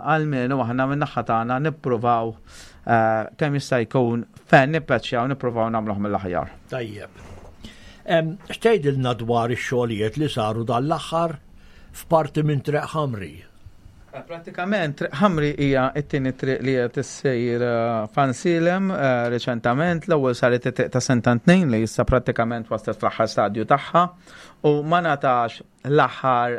għalmenu aħna minn naħa tagħna nippruvaw uh, kemm jista' jkun fejn nippeċjaw nippruvaw nagħmluh mill-aħjar. Tajjeb. X'tgħidilna dwar ix-xogħlijiet li saru dan l-aħħar f'parti minn Triq Ħamri? Pratikament, Triq Ħamri hija t-tieni triq li qed issir f'Għajnsielem reċentament. L-ewwel saret it-triq ta' Sant'Antnin li issa prattikament waslet fl-aħħar stadju tagħha u ma ngħatax l-aħħar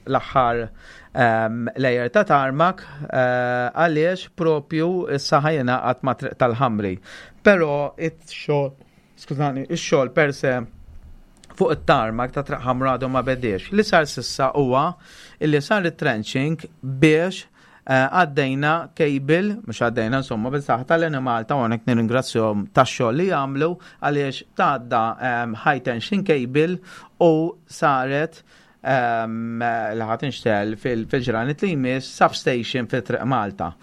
l-aħħar um, layer ta' tarmac uh, għaliex propju issa ħa jingħaqad ma' triq tal-Ħamri. Però it-xogħol, skużani, ix-xogħol per se fuq it-tarmac ta' Triq Ħamra għadu ma bediex. Li sar s'issa huwa illi sar it-trenching biex eh, għaddejna cable, mhux għaddejna insomma, bil-saħħa tal-Enemalta, u hawnhekk nirringrazzjahom tax-xogħol li jagħmlu, għaliex tgħadda um, high tension cable u saret um, li ħa tinxtegħel fil-ġranet li jmiss substation fi Triq Malta.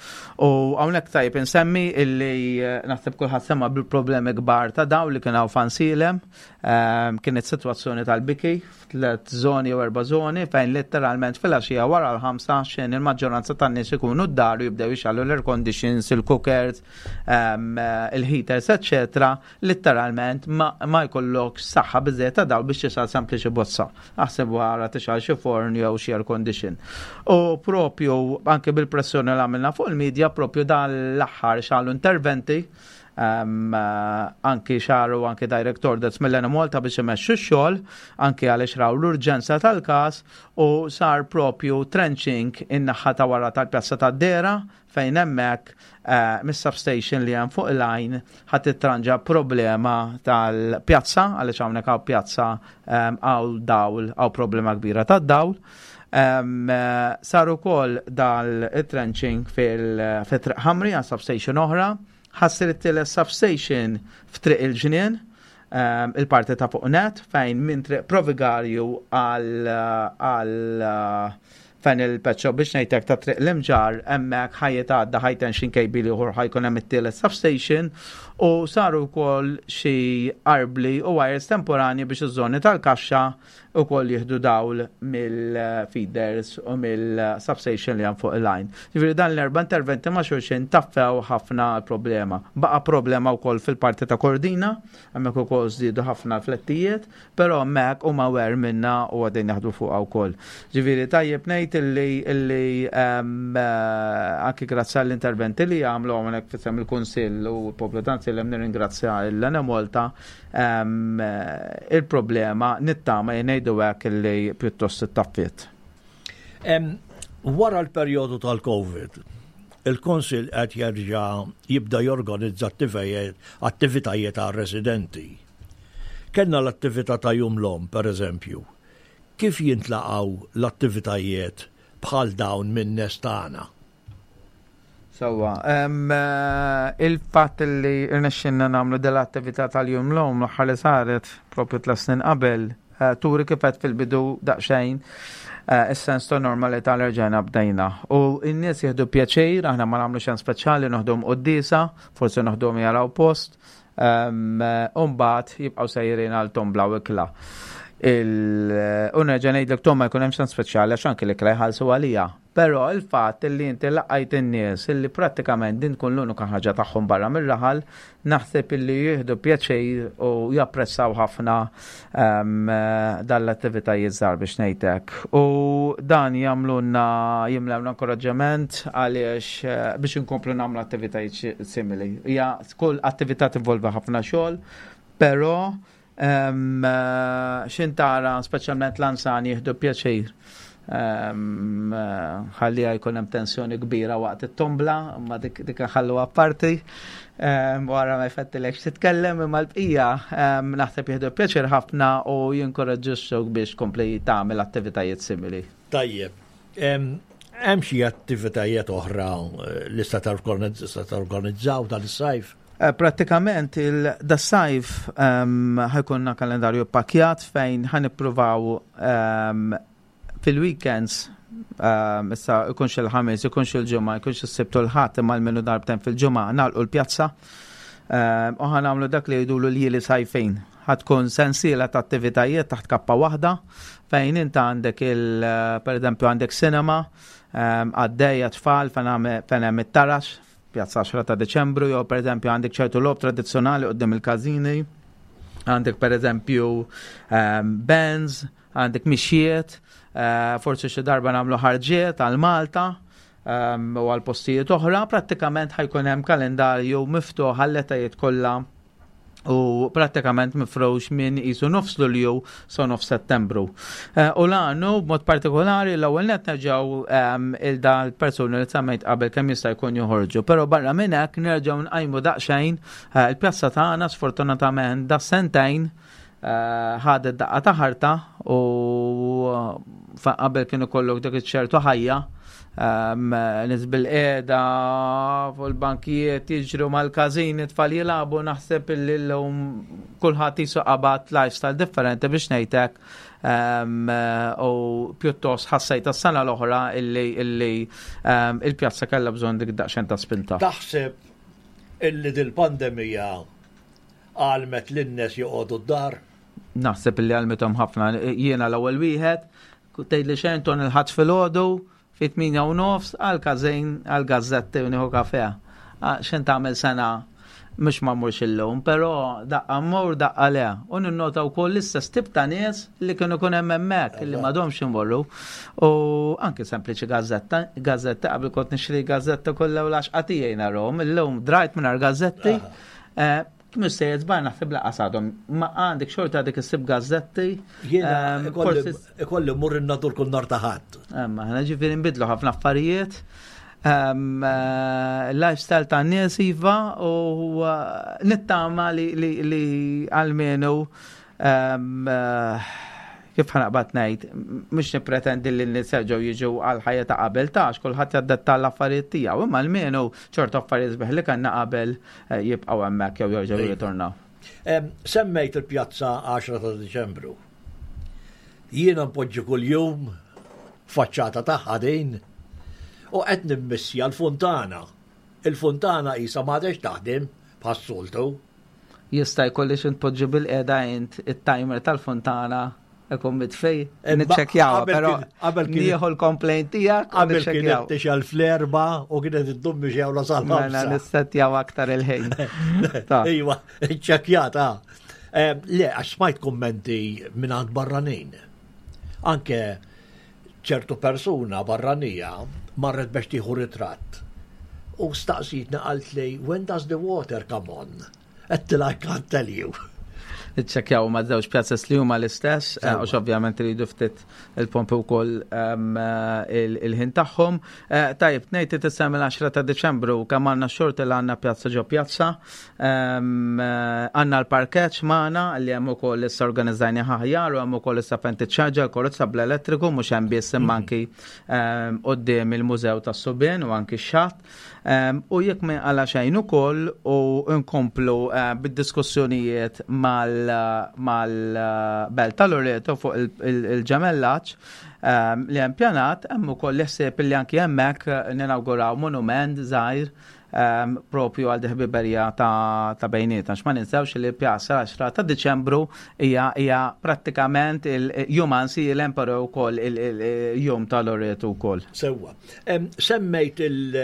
U hawnhekk tajb insemmi illi eh, naħseb kulħadd sema bil-problemi kbar ta' dawl li kien hawn f'Għajnsielem, um, kienet sitwazzjoni tal-biki f'tliet zoni u erba' zoni fejn letteralment fil-għaxija wara l-ħamsa, xejn il-maġġoranza tan-nies ikunu d-dar u jibdew jixegħlu l-air conditions, il-cookers, um, il-heaters, eccetera. Letteralment ma, ma jkollok saħħa biżejjed ta' dawl biex tixgħel sempliċi bozza. Aħseb wara tixgħel xi forn jew xi air condition. U propju anke bil-pressjoni li għamilna fuq il-medja, propju dan l-aħħar saru interventi, um, uh, anki saru anki direct orders mill-Enemalta biex imexxu x-xogħol, anki għaliex raw l-urġenza tal-każ, u sar propju trenching in-naħa ta' wara tal-Pjazza tad-Dera fejn hemmhekk uh, mis-substation li hemm fuq il-line ħadd titranġa problema tal-pjazza, għaliex hawnhekk hawn pjazza um, hawn dawl, hawn problema kbira tad-dawl. Um, uh, saru wkoll dal-trenching fil-Triq Ħamri għal substation oħra, ħa ssir it-tielet substation f'Triq il-Ġnien, um, il-parti ta' fuq net, fejn minn Triq Provigarju għal għal fejn il-peċċo, biex ngħidlek, ta' Triq l-Imġarr, hemmhekk ħa jitgħadda high tension cable ieħor, ħa jkun hemm it-tielet substation, u saru wkoll xi arbli u wires temporani biex iż-żoni tal-kaxxa ukoll jieħdu dawl mill-feeders u mill-substation li hemm fuq il-line. Ġifieri dan l-erba' interventi ma' xulxin taffew ħafna problema. Baqa' problema wkoll fil-parti ta' Kordina, hemmhekk ukoll żdiedu ħafna flettijiet, però hemmhekk huma aware minna u qegħdin jaħdmu fuqha wkoll. Ġifieri tajjeb ngħid ngħid illi illi anki grazzi għall-interventi li għamlu hawnhekk f'isem il-Kunsill u l-poplu ta' Għajnsielem, nirringrazzja l-Enemalta, il-problema nittama jgħidu hekk illi pjuttost ittaffiet. Wara l-perjodu tal-Covid, il-Kunsill qed jerġa' jibda jorganizza attivitajiet għal residenti. Kellna l-attività ta' Jum l-Omm, per eżempju. Kif jintlaqgħu l-attivitajiet bħal dawn minn nies tagħna? Sewwa, il-fatt li rnexxinna nagħmlu dell-attività tal-Jum l-Omm l-aħħar li saret propju tliet snin qabel, turi kif għedt fil-bidu daqsxejn is-sens ta' normalità li rġajna bdejna. U n-nies jieħdu pjaċir, aħna ma nagħmlu xejn speċjali, noħduhom quddiesa, forsi noħduhom jaraw post, u mbagħad jibqgħu sejrin għal tombla u ikla. U nerġa' ngħidlek tom ma jkun hemm xejn speċjali għax anke l-ikla jħallsu għalija. Però il-fatt li inti laqajt in-nies illi prattikament din tkun l-unika ħaġa tagħhom barra mir-raħal, naħseb illi jieħdu pjaċir u japprezzaw ħafna dal-attivitajiet żgħar biex ngħidlek. U dan jagħmlulna, jimlewna inkoraġġament għaliex biex inkomplu nagħmlu attivitajiet simili. Hija kull attività tinvolvi ħafna xogħol, però x'ħin tara speċjalment l-anzjani jieħdu pjaċir. Ħalli jkun hemm tensjoni kbira waqt it-tombla, imma dik dik nħallu apparti. Wara ma jfettilekx titkellem, imma l-bqija naħseb jieħdu pjaċir ħafna u jinkoraġġixxuk biex kompli tagħmel attivitajiet simili. Tajjeb. Hemm xi attivitajiet oħra li se torganizzaw dan is-sajf? Prattikament il-das-sajf ħa jkollna kalendarju pakjat fejn ħa nippruvaw fil-weekends, issa ikunx il-Ħamis, ikunx il-Ġimgħa, ikunx is-Sibt u l-Ħadd, imma almenu darbtejn fil-ġimgħa nagħlqu l-pjazza. U ħa nagħmlu dak li jgħidulu l-ljieli sajfin. Ħa tkun sensiela ta' attivitajiet taħt kappa waħda fejn inta għandek il, per eżempju, għandek cinema, għaddejja tfal fejn hemm it-tarax, Pjazza għaxra ta' Deċembru, jew per eżempju għandek ċertu logħob tradizzjonali quddiem il-każini, għandek per eżempju bands, għandek mixjiet, forsi xi darba nagħmlu ħarġiet għal Malta u għal postijiet oħra. Prattikament ħa jkun hemm kalendarju miftuħ għall-etajiet kollha u prattikament mifrux minn isu nofs Lulju sa nofs Settembru. U l-għanu b'mod partikolari l-ewwel net nerġgħu il da l-persuni li semmejt qabel kemm jista' jkun joħorġu, però barra minn hekk nerġgħu nqajmu daqsxejn il-pjazza tagħna. Sfortunatament da sentejn ħadet daqqa ta' ħarta u qabel kienu kollok dak iċ-ċertu ħajja, nies bil-qiegħda fuq il-bankijiet jiġru mal-każini, tfal jilagħbu, naħseb illi llum kulħadd jisu qabad lifestyle differenti biex ngħidlek, u pjuttost ħassejt tas-sena l-oħra illi illi il-pjazza kellha bżonn dik daqsxejn ta' spinta. Taħseb illi dil-pandemija għalmet lin-nies joqogħdu d-dar? Naħseb illi għalmithom ħafna. Jiena l-ewwel wieħed, tgħidli xejn ton il-Ħadd filgħodu fit tmienja u nofs għal każin għal gazzetti u nieħu kafe. X'in tagħmel sena mhux ma mmurx illum, però daqqa mmur, daqqa le. U ninnota wkoll l-istess tip ta' nies li kienu kun hemm hemmhekk li m'għadhomx imorru. U anke sempliċi gazzetta, gazzetta qabel kont nixtri gazzetta kollha u l-għaxqa tiegħi narhom, illum drajt mingħajr gazzetti. Mhux se jizbar naħseb laqas għadhom. Ma għandek xorta għadek issib gazzetti. Jiena ikolli mmur in-Nadur kull nhar ta' Ħadd. Imma ħna ġifieri nbidlu ħafna affarijiet. Lifestyle ta' nies iva u nittama li li għalmenu kif ħa naqbad ngħid, mhux nippretendi li n-nies jerġgħu jiġu għal ħajja ta' qabel ta' għax kulħadd jaddetta l-affarijiet tiegħu, imma almenu ċertu affarijiet sbieħ li kellna qabel jibqgħu hemmhekk jew jerġgħu jirritornaw. Semmejt il-pjazza għaxra ta' Diċembru. Jiena npoġġi kuljum faċċata tagħha din u qed nimmissja l-funtana. Il-funtana qisha m'għadhiex taħdem bħas-soltu. Jista' jkolli xi tpoġġi bil-qiegħda int it-timer tal-funtana ikun mitfej, niċċekkjawha, però nieħu l-complaint tiegħek u Qabel niċċekkjaw. kienet tixgħel fl-erba' u kienet iddum biex jawla sal-ħamsa. Mela nissettjaw aktar il-ħin. Ta. Iva, iċċekkjata. Le, għax smajt kummenti minn għand barranin. Anke Ċertu persuna barranija marret biex tieħu ritratt. U staqsitni, qalt li, "When does the water come on?" Għedtilha, "I can't tell you." Iċċekkjaw ma' żewġ pjazzas li huma l-istess, eh, għax ovvjament iridu ftit il-pompi wkoll ehm, eh, il-ħin tagħhom. Eh, tajjeb, ngħid tissemmi l-għaxra ta' Diċembru, kemm għandna xorti li għandna pjazza ġo pjazza, ehm, għandna l-parkeġġ magħna li hemm ukoll issa organizzajni aħjar u hemm ukoll issa fejn tiċċarġa l-karozza bl-elettriku, mhux hemm biss imma anki ehm, quddiem il-Mużew tas-Subien u anki x-xatt. U jekk ma għala xejn ukoll u nkomplu bid-diskussjonijiet mal mal-Belt ta' Loreto fuq il-ġemellaġġ li hemm pjanat, hemm ukoll ħsieb li anki hemmhekk ninawguraw monument żgħir propju għal ħbiberija ta' bejnietna. Ma ninsewx li pjazza għaxra ta' Diċembru hija hija prattikament il-jum Għajnsielem, però wkoll il-jum ta' Loreto wkoll. Sewwa. Semmejt il-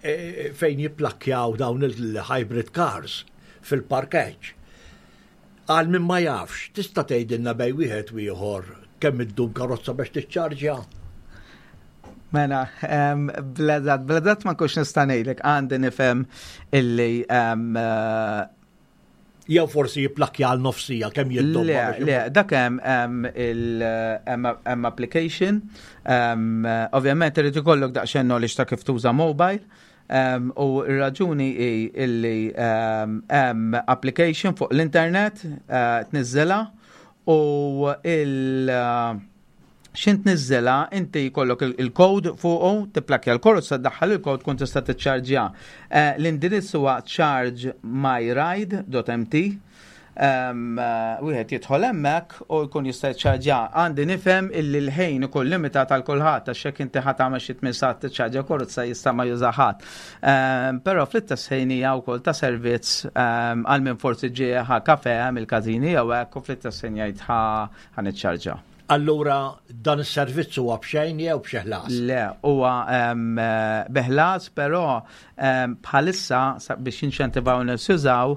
e, fejn jipparkjaw dawn il-hybrid cars fil-parkeġġ. Għal min ma jafx, tista' tgħidilna bejn wieħed u ieħor kemm iddum karozza biex tiċċarġja? Mela, bl-eżatt, bl-eżatt ma nkunx nista' ngħidlek, għandi nifhem illi eh, Jew forsi jipparkja għal nofs siegħa, kemm jiddum? Le, le, dak hemm hemm application. Ovvjament irid ikollok daqsxejn knowledge ta' kif tuża mobile. U r-raġuni hi illi hemm application fuq l-internet eh, tniżżilha u il- x'ħin tniżżilha inti jkollok il-code fuqu, tipparkja l-karozza, daħħal il-code, kun tista' tiċċarġja. Eh, l-indirizz huwa chargemyride dot M T. Wieħed jidħol hemmhekk u jkun jista' jiċċarġja. Għandi nifhem illi l-ħin ikun limitat għal kulħadd, għax jekk inti ħa tagħmel xi tmien sigħat tiċċarġja karozza jista' ma juża ħadd. Però fl-istess ħin hija wkoll ta' servizz għal min forsi ġie ħa kafe mill-każini jew hekk u fl-istess ħin jgħid ħa niċċarġja. Allura dan is-servizz huwa b'xejn jew b'xi ħlas? Le, huwa bi ħlas, però bħalissa biex jinċentivaw nies jużaw,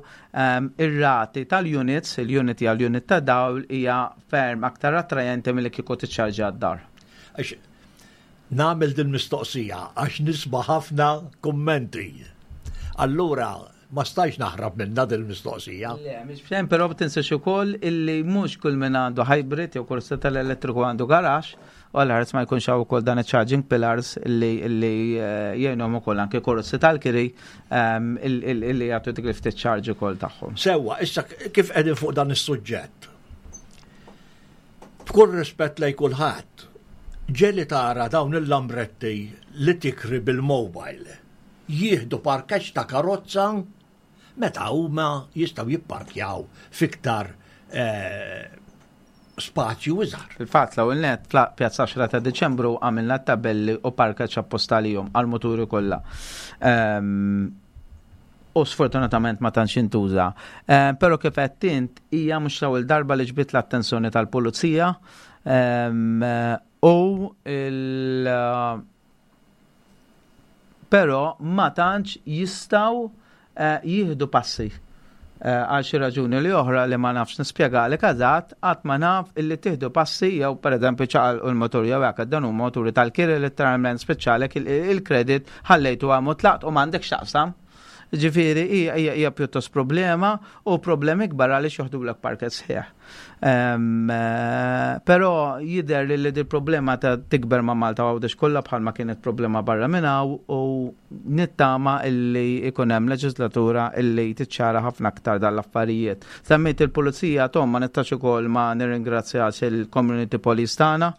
ir-rati tal-units, il-unit hija l-unit ta' dawl, hija ferm aktar attrajenti milli kieku tiċċarġa d-dar. Għax nagħmel din mistoqsija għax nisma' ħafna kummenti. Allura ma stajx naħrab minn din il-mistoqsija. Le, mhix b'xejn, però tinsiex ukoll illi mhux kull min għandu hybrid jew karozza tal-elettriku għandu garaxx, u għal ma jkunx hawn ukoll dan charging pillars illi illi eh, jgħinhom ukoll anke karozzi tal-kiri ehm, illi jagħtu dik li ftit charge ukoll tagħhom. Sewwa, issa kif qegħdin fuq dan is-suġġett. B'kull rispett lej kulħadd, ġieli tara dawn il-lambretti li tikri bil-mobile jieħdu parkeġġ ta' karozza meta huma jistgħu jipparkjaw fiktar eh, spazju iżgħar. Fil-fatt, l net Pjazza għaxra ta' Deċembru għamilna tabelli u parkeġġ apposta lihom għal-moturi kollha. Ehm, u sfortunatament ma tantx intuża. Ehm, però kif qed int, hija mhux l-ewwel darba li ġbit l-attenzjoni tal-pulizija ehm, u il però ma tantx jistgħu eh, jieħdu passi eh, għal xi raġuni li oħra li ma nafx nispjegalek eżatt, qatt ma naf illi tieħdu passi jew pereżempju ċaqal u l-motur jew hekk. Dan huma moturi tal-kiri, letteralment speċjalek il-kredit ħallejtu għamu tlaqt u m'għandek x'taqsam. Ġifieri hija hija pjuttost problema u problemi kbar għaliex joħdulek parkeġġ sħiħ. Ehm, eh, Però jidher li li problema ta' tikber ma' Malta Għawdex kollha bħalma kienet problema barra minn hawn u nittama illi ikun hemm leġislatura illi tiċċara ħafna aktar dal-affarijiet. Semmejt il-pulizija, Tom, ma nistax ukoll ma nirringrazzjax il-community police tagħna,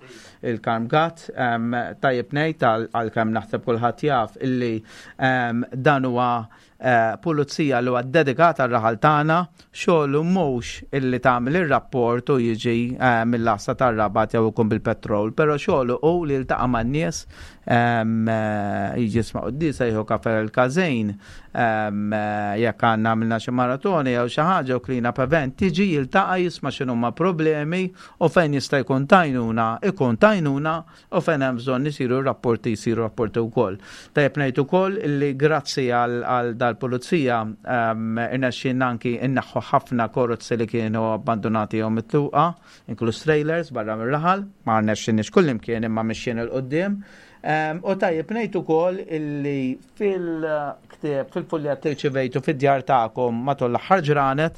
il-Karm Gatt, em, tajjeb ngħid għal għalkemm naħseb kulħadd jaf illi em, dan huwa eh, pulizija li huwa dedikat għal raħal tagħna, xogħlu mhux illi tagħmel ir-rapport u jiġi eh, mill-għassa tar-Rabat jew ikun bil-petrol, però xogħlu hu li jiltaqa' man-nies, em, eh, jiġi jisma' quddiesa, jieħu kafe l-każin, Jekk għandna għamilna xi maratoni jew xi ħaġa u clean up event, tiġi jiltaqa' jisma' x'inhuma problemi u fejn jista' jkun t'għajnuna, ikun t'għajnuna u fejn hemm bżonn isiru rapporti jsiru rapporti wkoll. Tajjeb ngħid ukoll li grazzi għal dal-pulizija irnexxielna anki inneħħu ħafna karozzi li kienu abbandonati jew mitluqa, inkluż trailers barra mir-raħal, ma rnexxinniex kullimkien imma mixjin 'il quddiem. U tajjeb ngħid ukoll illi fil-ktieb, fil-fuljett li rċivejtu fid-djar tagħkom matul l-aħħar ġranet,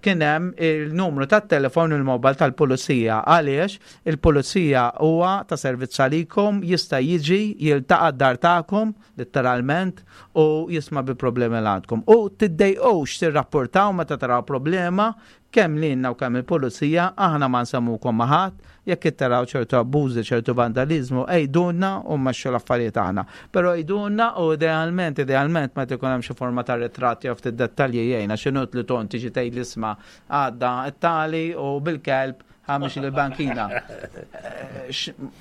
kien hemm il-numru tat-telefon, il-mobile tal-pulizija, għaliex il-pulizija huwa ta' servizz għalikom, jista' jiġi jiltaqa' d-dar tagħkom letteralment u jisma' bi problemi li għandkom. U tiddejqux tirrapportaw meta taraw problema kemm lilna u kemm il-pulizija, aħna ma nsemmukom ma' ħadd, jekk taraw ċertu abbużi, ċertu vandalizmu, għidulna u mmexxu l-affarijiet aħna. Però għidulna u idealment, idealment meta jkun hemm xi forma ta' ritratti jew ftit dettalji jgħinna x'inhu li ton tiġi tgħid l-isma' għadda t-tali u bil-kelb ħamix il-bankina.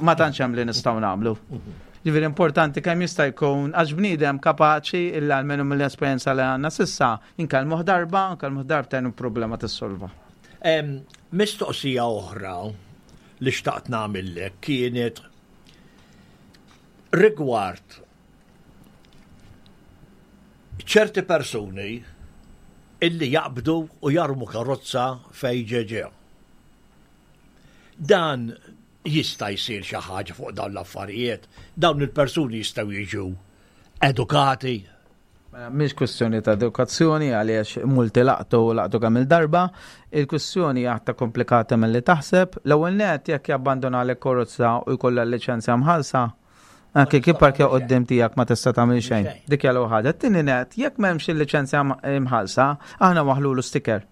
Ma tantx hemm li nistgħu nagħmlu. Ġifieri importanti kemm jista' jkun għax bniedem kapaċi illa almenu mill-esperjenza li għandna s'issa inkellmuh darba, nkellmuh darbtejn u problema tissolva. Mistoqsija oħra li xtaqt nagħmillek kienet rigward ċerti persuni illi jaqbdu u jarmu karozza fej ġeġe. Dan jista' jsir xi ħaġa fuq dawn l-affarijiet, dawn il-persuni jistgħu jiġu edukati. Mela, mhix kwestjoni ta' edukazzjoni għaliex multi laqtu laqtu kemm il-darba, il-kwestjoni aktar komplikata milli taħseb. L-ewwel net jekk jabbandona l karozza u jkollha l-liċenzja mħallsa, anke kif parkja quddiem tiegħek ma tista' tagħmel xejn. Dik hija l-ewwel ħaġa. Tieni net, jekk m'hemmx il-liċenzja mħallsa, aħna waħlulu sticker.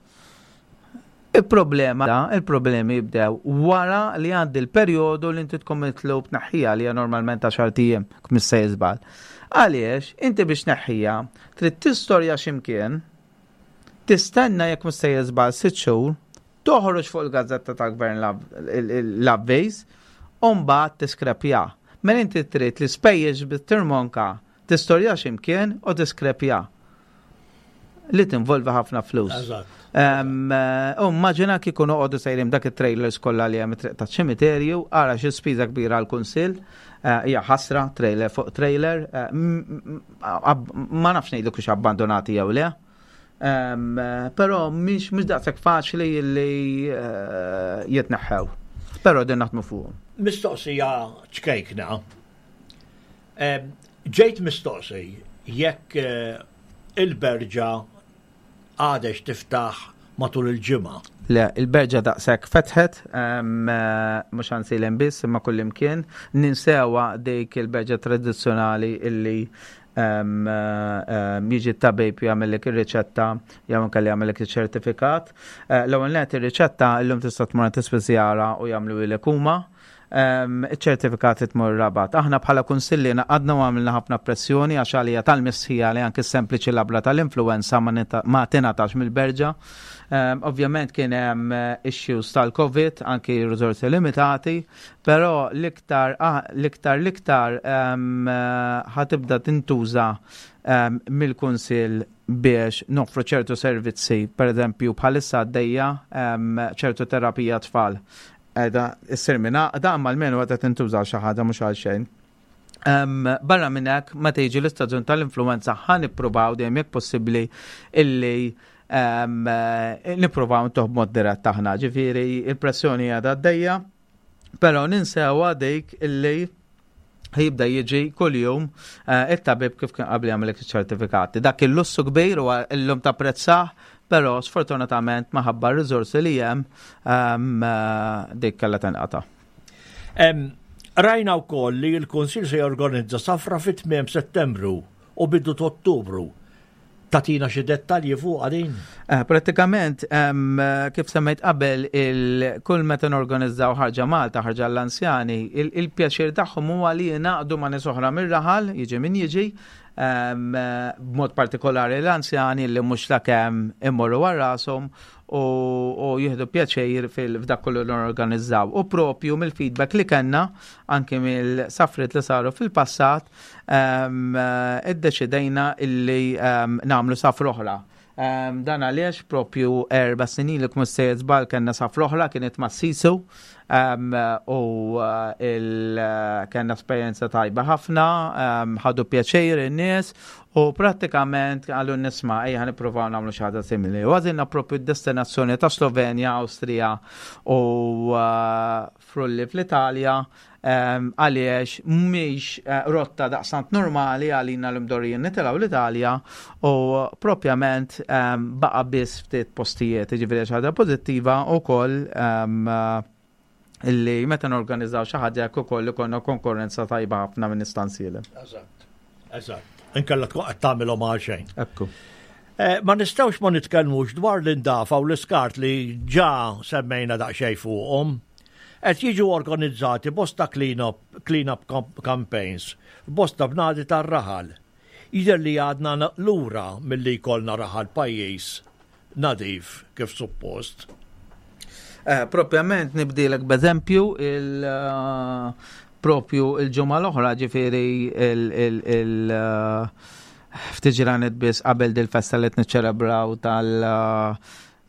Il-problema, il-problemi jibdew wara li għandi l-perjodu li inti tkun mitlub tneħħija li hija normalment għaxart ijiem, mhux se jiżbal. Għaliex, inti biex tneħħija, trid tistorja x'imkien, tistenna jekk mhux se jiżbal sitt xhur, toħroġ fuq il-gazzetta tal-gvern l-avviż, u mbagħad tiskrepja. Mela inti trid li spejjeż bit-tirmonka tistorja x'imkien u tiskrepja. Li tinvolvi ħafna flus. U immaġina kieku noqogħdu sejrin dak it-trailers kollha li hemm it-triq taċ-ċimiterju, ara xi spiża kbira għall-kunsill, hija ħasra trailer fuq trailer, ma nafx ngħidlek hux abbandonati jew le. Però mhix mhux daqshekk faċli li jitneħħew. Però din naħdmu fuqhom. Mistoqsija ċkejkna. Ġejt mistoqsi jekk il-berġa għadex tiftaħ matul il-ġimgħa. Le, il-berġa daqshekk fetħet, mhux Għajnsielem biss imma kullimkien, ninsewa dik il-berġa tradizzjonali illi jiġi t-tabib jagħmellek ir-riċetta jew anke jagħmellek iċ-ċertifikat. L-ewwel net ir-riċetta illum tista' tmur tispiżjara u jagħmlu huma. Iċ-ċertifikati tmur Rabat. Aħna bħala kunsilli naqadna u għamilna ħafna pressjoni għax għalija tal-mistħija li anke sempliċi labra tal-influenza ma tingħatax mill-berġa. Ovvjament kien hemm issues tal-Covid, anki riżorsi limitati, però l-iktar l-iktar l-iktar ħa tibda tintuża mill-kunsill biex noffru ċertu servizzi, per eżempju bħalissa għaddejja ċertu terapija tfal. Edha, issir minn għaqda, imma almenu għadha tintuża xi ħaġa mhux għal xejn. Barra minn hekk, meta jiġi l-istaġun tal-influenza ħa nippruvaw dejjem jekk possibbli illi nippruvaw ntuh b'mod dirett aħna. Ġifieri il-pressjoni għadha għaddejja, però ninsewa dik illi jibda jiġi kuljum it-tabib kif kien qabel jagħmel iċ-ċertifikati. Dak il-lussu kbir u llum tapprezzah, però sfortunatament minħabba r-riżorsi li hemm dik kellha tinqata'. Rajna wkoll li l-Kunsill se jorganizza safra fit tmiem Settembru u bidu Ottubru. Tagħtina xi dettalji fuq din? Pratikament, kif semmejt qabel, kull meta norganizzaw ħarġa Malta, ħarġa l-anzjani, il-pjaċir tagħhom huwa li jingħaqdu ma' nies oħra mir-raħal, jiġi min jiġi, b'mod partikolari l-anzjani li mhux la kemm immorru għal rashom u, u jieħdu pjaċir fil-f'dak kollu li norganizzaw. U propju mill-feedback li kellna anke mill-safrit li saru fil-passat, iddeċidejna illi nagħmlu safra oħra. Um, dan għaliex propju erba snin li kmus sejjer żball kellna safra oħra, kienet ma' Sisu um, u uh, il, uh, kellna esperjenza tajba ħafna, um, ħadu pjaċir in-nies u prattikament għallu nisma' ejja nippruvaw nagħmlu xi ħaġa simili. U għażilna propju d-destinazzjoni ta' Slovenja, Awstrija u uh, Frulli fl-Italja għaliex mhix eh, rotta daqsant normali għalina l-imdorrijin nitilgħu l-Italja u propjament baqa biss ftit postijiet, ġifieri xi ħaġa pożittiva wkoll illi meta norganizzaw xi ħaġa jekk ukoll ikollna konkurrenza tajba ħafna minn istanzieli. Eżatt, eżatt. Inkella tkun qed tagħmilhom għal xejn. Ekku. Eh, ma nistgħux ma nitkellmux dwar l-indafa u l-iskart li ġa semmejna daqsxejn fuqhom. Qed jiġu organizzati bosta clean-up clean up campaigns f'bosta bnadi tar-raħal. Jidher li għadna lura milli jkollna raħal pajjiż nadif kif suppost. Eh, propjament nibdilek b'eżempju il eh, propju il-ġimgħa l-oħra, ġifieri il, il, il eh, ftit ġranet biss qabel dil-festa li niċċelebraw tal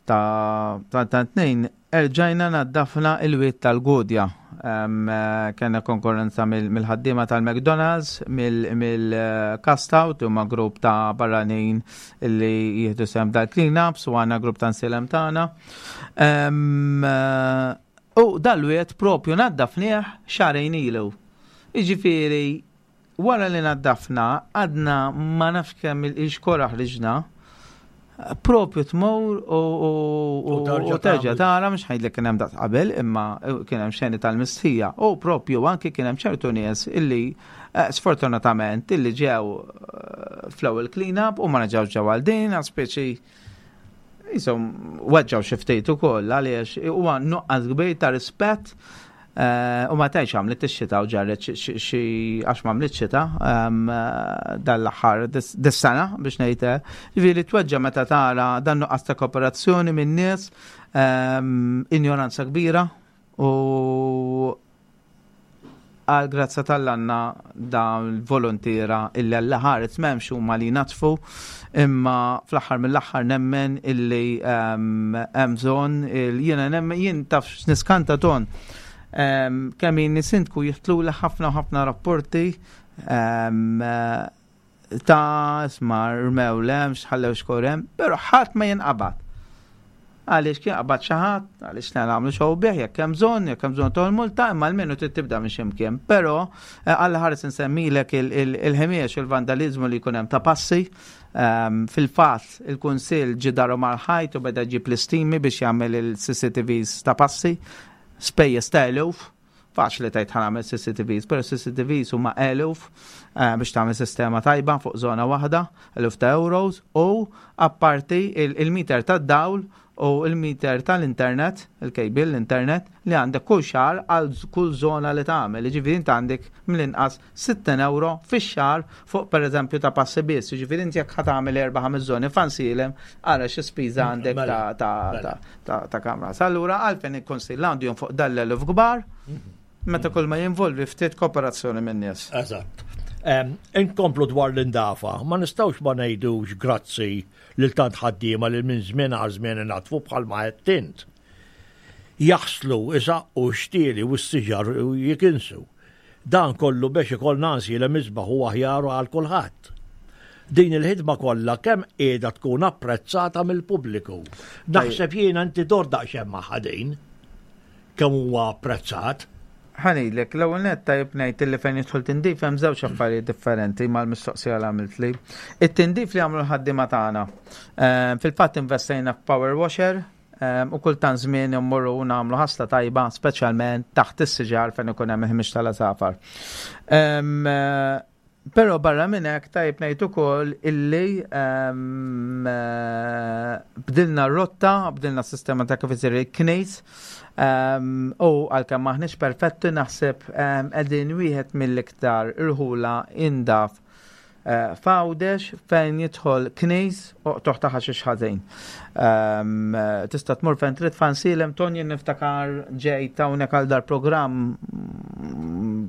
ta' ta' tnejn, erġajna naddafna il-wied tal-Gudja. Kellna konkurrenza mill-ħaddiema tal-McDonald's, mill-Cast Out, huma grupp ta' barranin li jieħdu sehem dal-clean-ups, u għandna grupp ta' nsilem tagħna. U dal-wied propju naddafnieh xahrejn ilu. Iġifieri, wara li naddafna, għadna ma nafx kemm il-xkora ħriġna, propju tmur u terġa' tara, mhux ħajd li kien hemm daqs qabel, imma kien hemm xeni tal-mistħija u propju anki kien hemm ċertu nies illi eh, sfortunatament illi ġew eh, fl-ewwel clean-up u ma reġgħux ġew għal din, speċi jisom weġġaw xi ftit ukoll għaliex huwa nuqqas kbir ta' rispett. Eh, u ma tajx għamlet ix-xita u ġarret xi, għax ma għamlet xita dal-aħħar dis-sena biex ngħid. Ġifieri tweġġa' meta tara dan nuqqas ta' kooperazzjoni minn nies, injoranza kbira, u għal grazza tal-għanna dawn il-volontira illi għall-ħaret memx huma li natfu, imma fl-aħħar mill-aħħar nemmen illi hemm bżonn jiena nemmen, jien taf niskanta ton kemm jien sindku jihtlu li ħafna ħafna rapporti ta' isma' rmew lem, xħallew xkorem, pero ħadd ma jinqabad. Għaliex kien qabad xi ħadd, għaliex nagħmlu xogħol bih jekk hemm bżonn, jekk hemm bżonn toħol multa, imma almenu trid tibda minn x'imkien. Però eh, Alla ħares insemmilek il-ħimiex, il-vandalizmu li jkun hemm ta' passi. Ehm, fil-fatt il-Kunsill ġie daru mal-ħajt u beda ġib l-istimi biex jagħmel il-C C T Vs ta' passi, spejjeż ta' eluf. Faċli tajt ħa nagħmel C C T Vs, pero C C T Vs huma eluf eh, biex tagħmel sistema tajba fuq żona waħda, eluf ta' euros, u apparti il-meter tad-dawl u il-meter tal-internet, il-cable, l-internet, li għandek kull xahar għal kull zona li tagħmel. Ġifieri inti għandek mill-inqas sittin euro fix-xahar fuq pereżempju ta' passi biss. Ġifieri inti jekk ħa tagħmel erba' ħames żoni f'Għajnsielem, ara xi spiża għandek Mela, ta' ta' mela. ta' ta' ta' kamra. Allura għalfejn il-Kunsill għandu fuq dal-eluf kbar meta kull ma jinvolvi ftit kooperazzjoni minn nies? Eżatt. Em, Inkomplu dwar l-indafa, ma nistgħux ma ngħidux grazzi lil tant ħaddiema li minn żmien għal żmien inatfu bħalma qed int. Jaħslu, isaqqu xtieli u s-siġar u jikinsu. Dan kollu biex ikollna Għajnsielem isbaħ u aħjar għal kulħadd. Din il-ħidma kollha kemm qiegħda tkun apprezzata mill-pubbliku? Naħseb jiena inti dor daqsxejn ma' din kemm huwa apprezzat. Ħa ngħidlek, l-ewwel nett tajjeb ngħid li fejn jidħol tindif hemm żewġ affarijiet differenti mal-mistoqsija li għamilt li. It-tindif li għamlu l-ħaddiema tagħna. Eh, Fil-fatt investejna f'power washer eh, u kultant żmien immorru u nagħmlu ħasla tajba, speċjalment taħt is-siġar fejn ikun hemm il-ħmieġ tal-għasafar. Em, eh, Però barra minn hekk tajjeb ngħid ukoll illi em, eh, bdilna r-rotta, bdilna s-sistema ta' kif isir il-knejs. Um, u għalkemm maħniex perfetti, naħseb um, qegħdin wieħed mill-iktar irħula indaf. eh, f'Għawdex fejn jidħol knis u qtugħ ta' ħaxix ħażin. Ehm, tista' tmur fejn trid f'Għajnsielem, Tony, niftakar ġejt hawnhekk għal dar-programm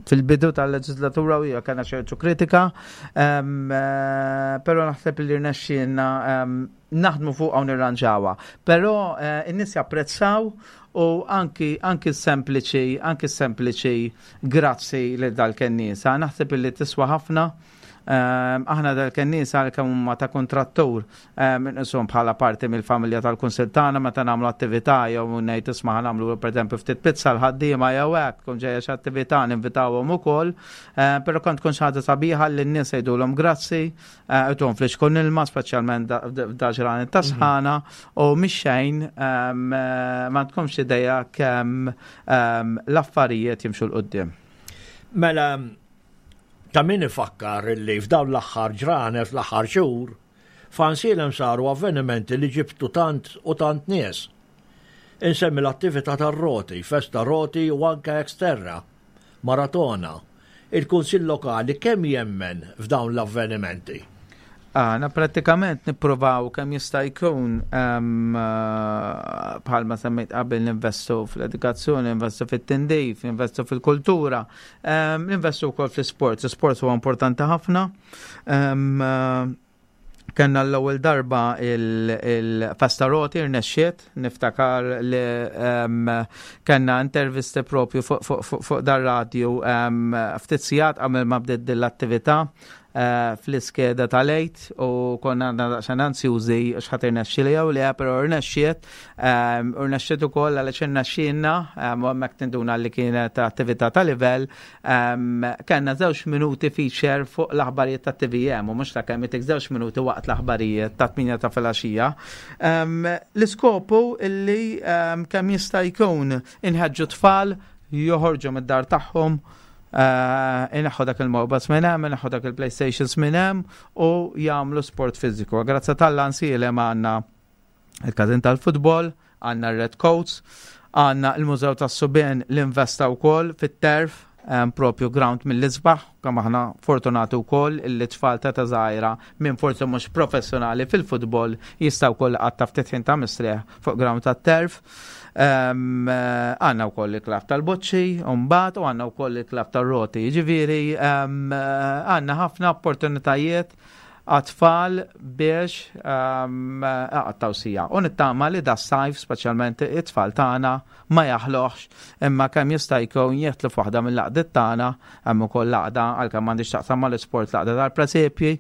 fil-bidu tal-leġislatura u hija kellna ċertu kritika, ehm, eh, però naħseb li rnexxielna ehm, naħdmu fuq hawn nirranġawha. Però eh, in-nies japprezzaw u anki anki sempliċi anki sempliċi grazzi li dal-kennisa. Naħseb li tiswa ħafna. Ehm, aħna dal-kennisa għal huma ta' kontrattur ehm, inqishom bħala parti mill-familja tal-kunsil tagħna. Meta nagħmlu attività jew ngħid, isma', nagħmlu pereżempju ftit pizza l-ħaddiema jew hekk, tkun ġejja xi attività, ninvitawhom ukoll, ehm, però kont tkun xi ħaġa sabiħa li n-nies jgħidulhom grazzi, eh, ituhom flixkun ilma, speċjalment f'dal-ġranet ta' mhm. sħana, u mhix xejn, eh, ma tkunx idea kemm l-affarijiet jimxu 'l quddiem. Mela, ta' min ifakkar li f'dawn l-aħħar ġranet, fl-aħħar xhur, f'Għajnsielem saru avvenimenti li ġibtu tant u tant nies. Insemmi l-attività tar-roti, festa roti u anke Xterra, maratona. Il-Kunsill Lokali kemm jemmen f'dawn l-avvenimenti? Aħna prattikament nippruvaw kemm jista' jkun, eh, bħalma semmejt qabel, ninvestu fl-edukazzjoni, ninvestu fit-tindif, ninvestu fil-kultura, ninvestu wkoll fl-sport. Sport huwa importanti ħafna. Eh, Kenna l-ewwel darba il-festa roti, rnexxiet, niftakar li kellna intervisti propju fuq dar-radju ftit sigħat qabel ma bdiet din l-attività eh, fl-iskeda tal-Għid u konna għadna daqsxejn ansjużi x'ħa tirnexxi jew le, però rnexxiet, u rnexxiet ukoll għaliex irnexxielna, u hemmhekk tinduna li kienet attività ta' livell, kellna żewġ minuti feature fuq l-aħbarijiet ta' T V M u mhux ta' kemm itik żewġ minuti waqt l-aħbarijiet ta' tmienja ta' filgħaxija. L-iskopu illi kemm jista' jkun inħeġġu tfal joħorġu mid-dar tagħhom, eh, ineħħu dak il-mobiles minn hemm, ineħħu dak il-PlayStations minn hemm u jagħmlu sport fiżiku. Grazzi t'Alla Għajnsielem għandna il-każin tal-futbol, għandna Red Coats, għandna il-Mużew tas-Subien li investa wkoll fit-turf, propju ground mill-isbaħ, kemm aħna fortunati wkoll illi tfal ta' żgħira minn forsi mhux professjonali fil-futbol jistgħu wkoll iqattgħu ftit ħin ta' mistrieħ fuq ground tat-turf. Għandna wkoll il-klabb tal-boċċi, mbagħad u għandna wkoll il-klabb tal-roti. Ġifieri għandna ħafna opportunitajiet għat-tfal biex iqattgħu siegħa. U nittama li das-sajf, speċjalment it-tfal tagħna, ma jaħluhx, imma kemm jista' jkun jidħlu f'waħda mill-għaqdiet tagħna. Hemm ukoll l-għaqda, għalkemm m'għandix taqsam mal-isport, l-għaqda tal-presepji,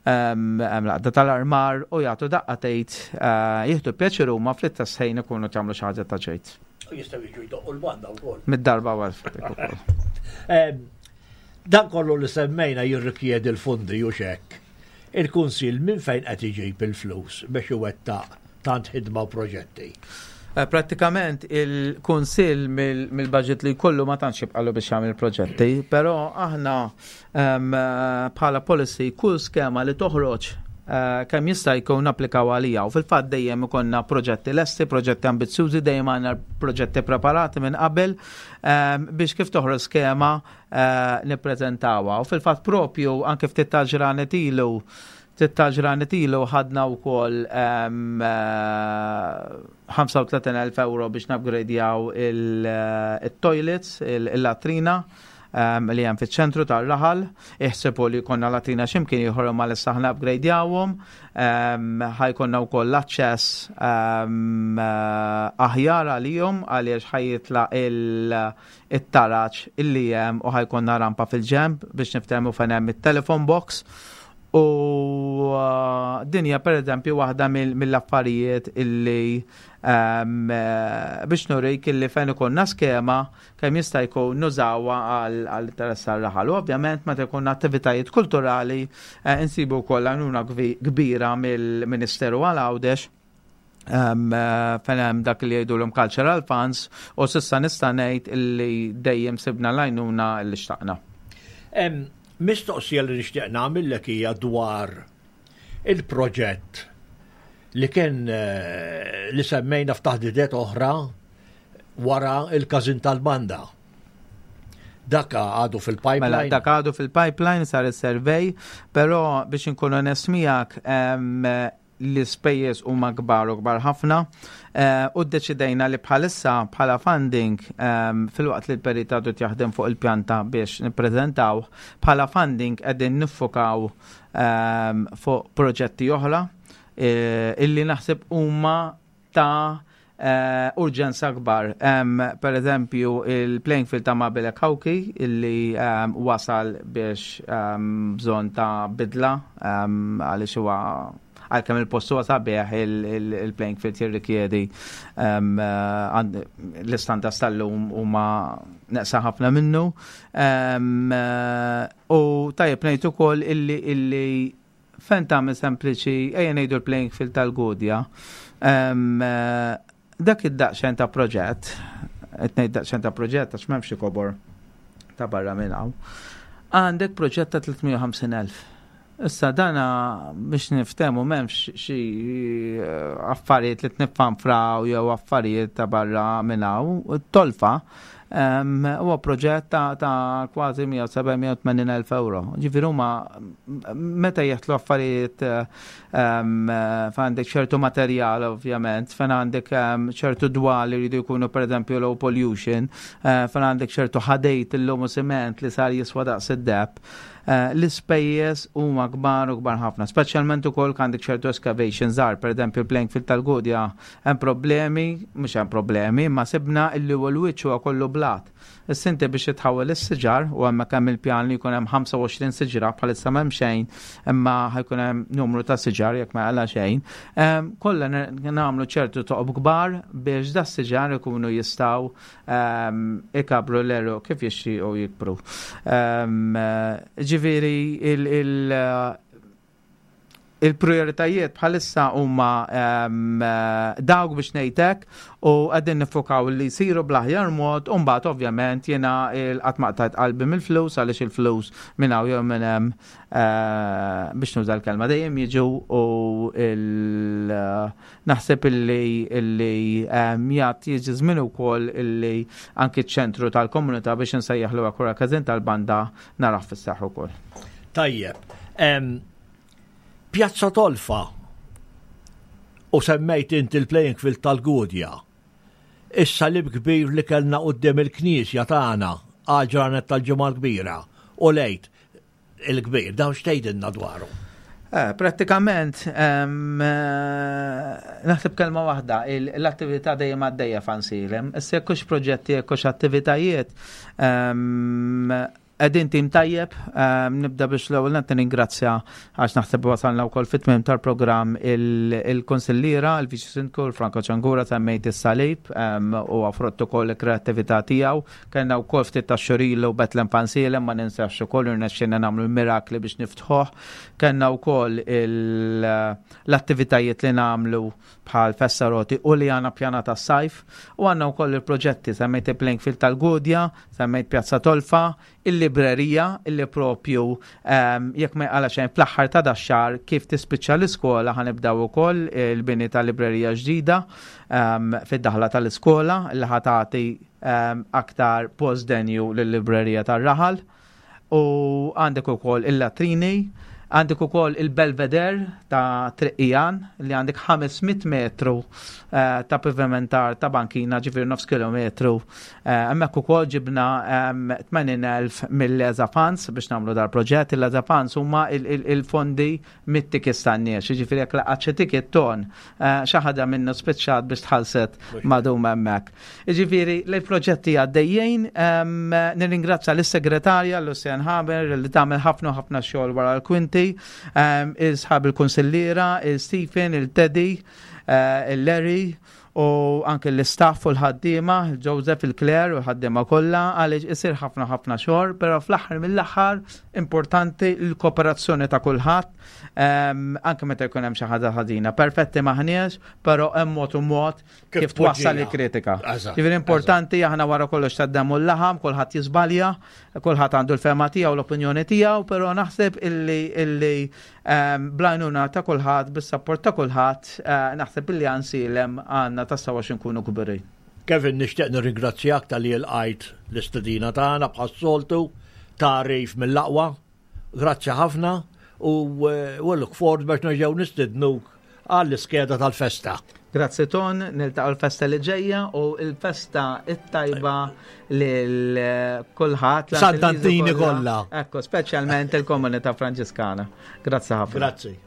hemm l-għaqda tal-armar, u jagħtu daqqa tgħid eh, jieħdu pjaċir huma fl-istess ħin ikunu tagħmlu xi ħaġa ta' ġejt. Jistgħu jiġu jdoqqu l-banda wkoll. Mid-darba għal. Dan kollu li semmejna jirrikjedi l-fondi u xek. Il-Kunsill minn fejn qed iġib il-flus biex iwettaq tant ħidma u proġetti? Eh, Prattikament il-Kunsill mill-budget li jkollu ma tantx jibqalu biex jagħmel proġetti, però aħna em, eh, bħala policy kull skema li toħroġ eh, kemm jista' jkun applikaw għalija, u fil-fatt dejjem ikollna proġetti lesti, proġetti ambizzjużi, dejjem għandna proġetti preparati minn qabel em, biex kif toħroġ skema eh, nippreżentawha. U fil-fatt propju anke ftit ta' ġranet ilu ftit ta' ġranet ilu ħadna wkoll em, eh, ħamsa u tletin elf euro biex nupgradejaw il-toilets, il-latrina um, li hemm fiċ-ċentru tar-raħal. Iħsebu li konna latrina x'imkien ieħor, ma issa aħna upgradejawhom. Um, ħa jkollna wkoll l-aċċess um, aħjar għalihom għaliex ħa jitla' il-taraġ illi hemm u ħa jkollna rampa fil-ġenb biex niftehmu fejn hemm it-telephone box. U uh, din hija per eżempju waħda mill-affarijiet illi um, biex nurik illi fejn ikollna skema kemm jista' jkun nużawha għall-interess tar-raħal. U ovvjament meta jkun attivitajiet kulturali eh, insibu wkoll għajnuna kbira mill-Ministeru għal Għawdex, um, fejn hemm dak li jgħidulhom cultural funds, u s'issa nista' ngħid illi dejjem sibna l-għajnuna li xtaqna. Mistoqsija li nixtieq nagħmillek hija dwar il-proġett li kien li semmejna f'taħdidiet oħra wara il-każin tal-banda. Dak għadu fil-pipeline. Mela, dak għadu fil-pipeline, sar il-survey, però biex inkun onest miegħek, l-ispejjeż huma kbar u kbar ħafna eh, u ddeċidejna li bħalissa bħala funding, filwaqt li l-perit għadu jaħdem fuq il-pjanta biex nippreżentaw, bħala funding qegħdin niffokaw fuq proġetti oħra eh, illi naħseb huma ta' uh, urġenza kbar. Um, per eżempju, il-playing field ta' Mabile Kawki illi um, wasal biex um, bżonn ta' bidla um, għaliex huwa, għalkemm il-post huwa sabiħ, il-playing field jirrikjedi um, l-istandards tal-lum huma neqsa ħafna minnu. Um, u tajjeb ngħid ukoll illi illi fejn tagħmel sempliċi, ejja ngħidu l-playing field tal-Gudja. Um, dak id-daqsxejn ta' proġett, qed ngħid daqsxejn ta' proġett għax m'hemmx kobor ta' barra minn hawn. Għandek proġett ta' tliet mija u ħamsin elf. Issa dana biex niftemu, m'hemmx xi eh, affarijiet li tniffanfraw jew affarijiet ta' barra minn hawn. Tolfa huwa proġett ta', ta kważi mija u sebgħa, mija u tmenin elf euro. Ġifieri huma meta jeħtlu affarijiet, fejn għandek ċertu materjal ovvjament, fejn għandek ċertu dwal li jridu jkunu, per eżempju, low pollution, eh, fejn għandek ċertu ħadid illum u siment li sar jiswa daqs id-deheb. Eh, l-ispejjeż huma kbar u kbar ħafna, speċjalment ukoll għandek ċertu excavation żgħar, per eżempju playing field tal-Gudja hemm problemi, mhux hemm problemi, ma sibna illi huwa l-wiċċ huwa kollu blat. Issa inti biex tħawel is-siġar, u hemmhekk hemm il-pjan li jkun hemm ħamsa u għoxrin siġra, bħalissa m'hemm xejn, imma ħa jkun hemm numru ta' siġar jekk ma għala xejn. Kollha nagħmlu ċertu toqob kbar biex da siġar ikunu jistgħu ikabru l-għeruq kif jixtiequ jikbru. Ġifieri il- il- il-prioritajiet bħalissa huma dawk biex ngħidlek u qegħdin nifokaw li jsiru bl-aħjar mod, u mbagħad ovvjament jiena qatt ma qtajt qalbi mill-flus, għaliex il-flus minn hawn jew minn hemm, eh, biex nuża l-kelma, dejjem jiġu, u naħseb illi illi jgħat jiġi żmien ukoll illi anki ċ-ċentru tal-komunità, biex nsejjaħlu akkura każin tal-banda, narah fis-seħħ ukoll. Tajjeb. Pjazza Tolfa u semmejt inti il-playing field tal-Gudja. Is-salib kbir li kellna quddiem il-knisja tagħna għal ġranet tal-Ġimgħa l-Kbira u l-Għid il-Kbir, dawn x'tgħidilna dwaru? Eh, pratikament, eh, naħseb kelma waħda, l-attività dejjem għaddejja f'Għajnsielem. Issa jekk hux proġetti, jekk hux attivitajiet, qegħdin tim tajjeb, nibda biex l-ewwel nett ningrazzja, għax naħseb wasalna wkoll fit-tmiem tal-programm, il-konsilliera, il-Viċi Sindku Franco Ċangura. Semmejt is-salib u frott ukoll il-kreattività tiegħu. Kellna wkoll ftit ta' xhur ilu Betlem f'Għajnsielem, ma ninsax ukoll irnexxielna nagħmlu l-mirakli biex niftħuh. Kellna wkoll l-attivitajiet li nagħmlu bħal Festa Roti u li għandna pjana tas sajf u għandna wkoll il-proġetti, semmejt il-playing field tal-Gudja, semmejt Pjazza Tolfa, il-librerija illi propju jekk ma għala xejn fl-aħħar ta' dax-xahar, kif tispiċċa l-iskola, ħa nibdew ukoll il-bini tal-librerija ġdida fid-daħla tal-iskola li ħa tagħti aktar post denju lill-librerija tar-raħal, u għandek ukoll il-latrini. Għandek ukoll il-Belvedere ta' Triq Ijan li għandek ħames mitt metru eh, ta' pavimentar ta' bankina, ġifieri nofs kilometru. Eh, hemmhekk ukoll ġibna tmenin elf mill-EZA Funds biex nagħmlu dal-proġett. Il-EZA Funds huma il-fondi mit-tickets tan-nies, ġifieri jekk laqgħat xi ticket ton, eh, xi ħaġa minnu spiċċat biex tħallset madum hemmhekk. Ġifieri l-proġetti għaddejjin, nirringrazzja lis-segretarja Lucian Haber li tagħmel ħafna ħafna xogħol wara l-kwinti, il-sħab il-konsilliera, il-Stephen, il-Teddy, eh, il-Larry u anke l-istaff u l-ħaddiema, il-Joseph, il-Claire u l-ħaddiema kollha, għaliex isir ħafna ħafna xogħol, però fl-aħħar mill-aħħar importanti l-kooperazzjoni ta' kulħadd, anke meta jkun hemm xi ħaġa ħażina. Perfetti maħniex, però hemm mod u mod kif twassal il-kritika. Ġifieri importanti, aħna wara kollox tad-demm u l-laħam, kulħadd jiżbalja, kulħadd għandu l-fehma tiegħu, l-opinjoni tiegħu, però naħseb illi illi bl-għajnuna ta' kulħadd, bis-support ta' kulħadd, eh, naħseb illi Għajnsielem għandna tassew għax nkunu kburin. Kevin, nixtieq nirringrazzjak talli lqajt l-istedina tagħna bħas-soltu, tagħrif mill-aqwa. Grazzi ħafna u eh, we look forward biex nerġgħu nistednuk għall-iskeda tal-festa. Grazzi Ton, niltaqgħu l-festa li ġejja u l-festa it-tajba lil kulħadd. Sant'Antini kollha. Ekku, speċjalment il-komunità Franġiskana. Grazzi ħafna. Grazzi.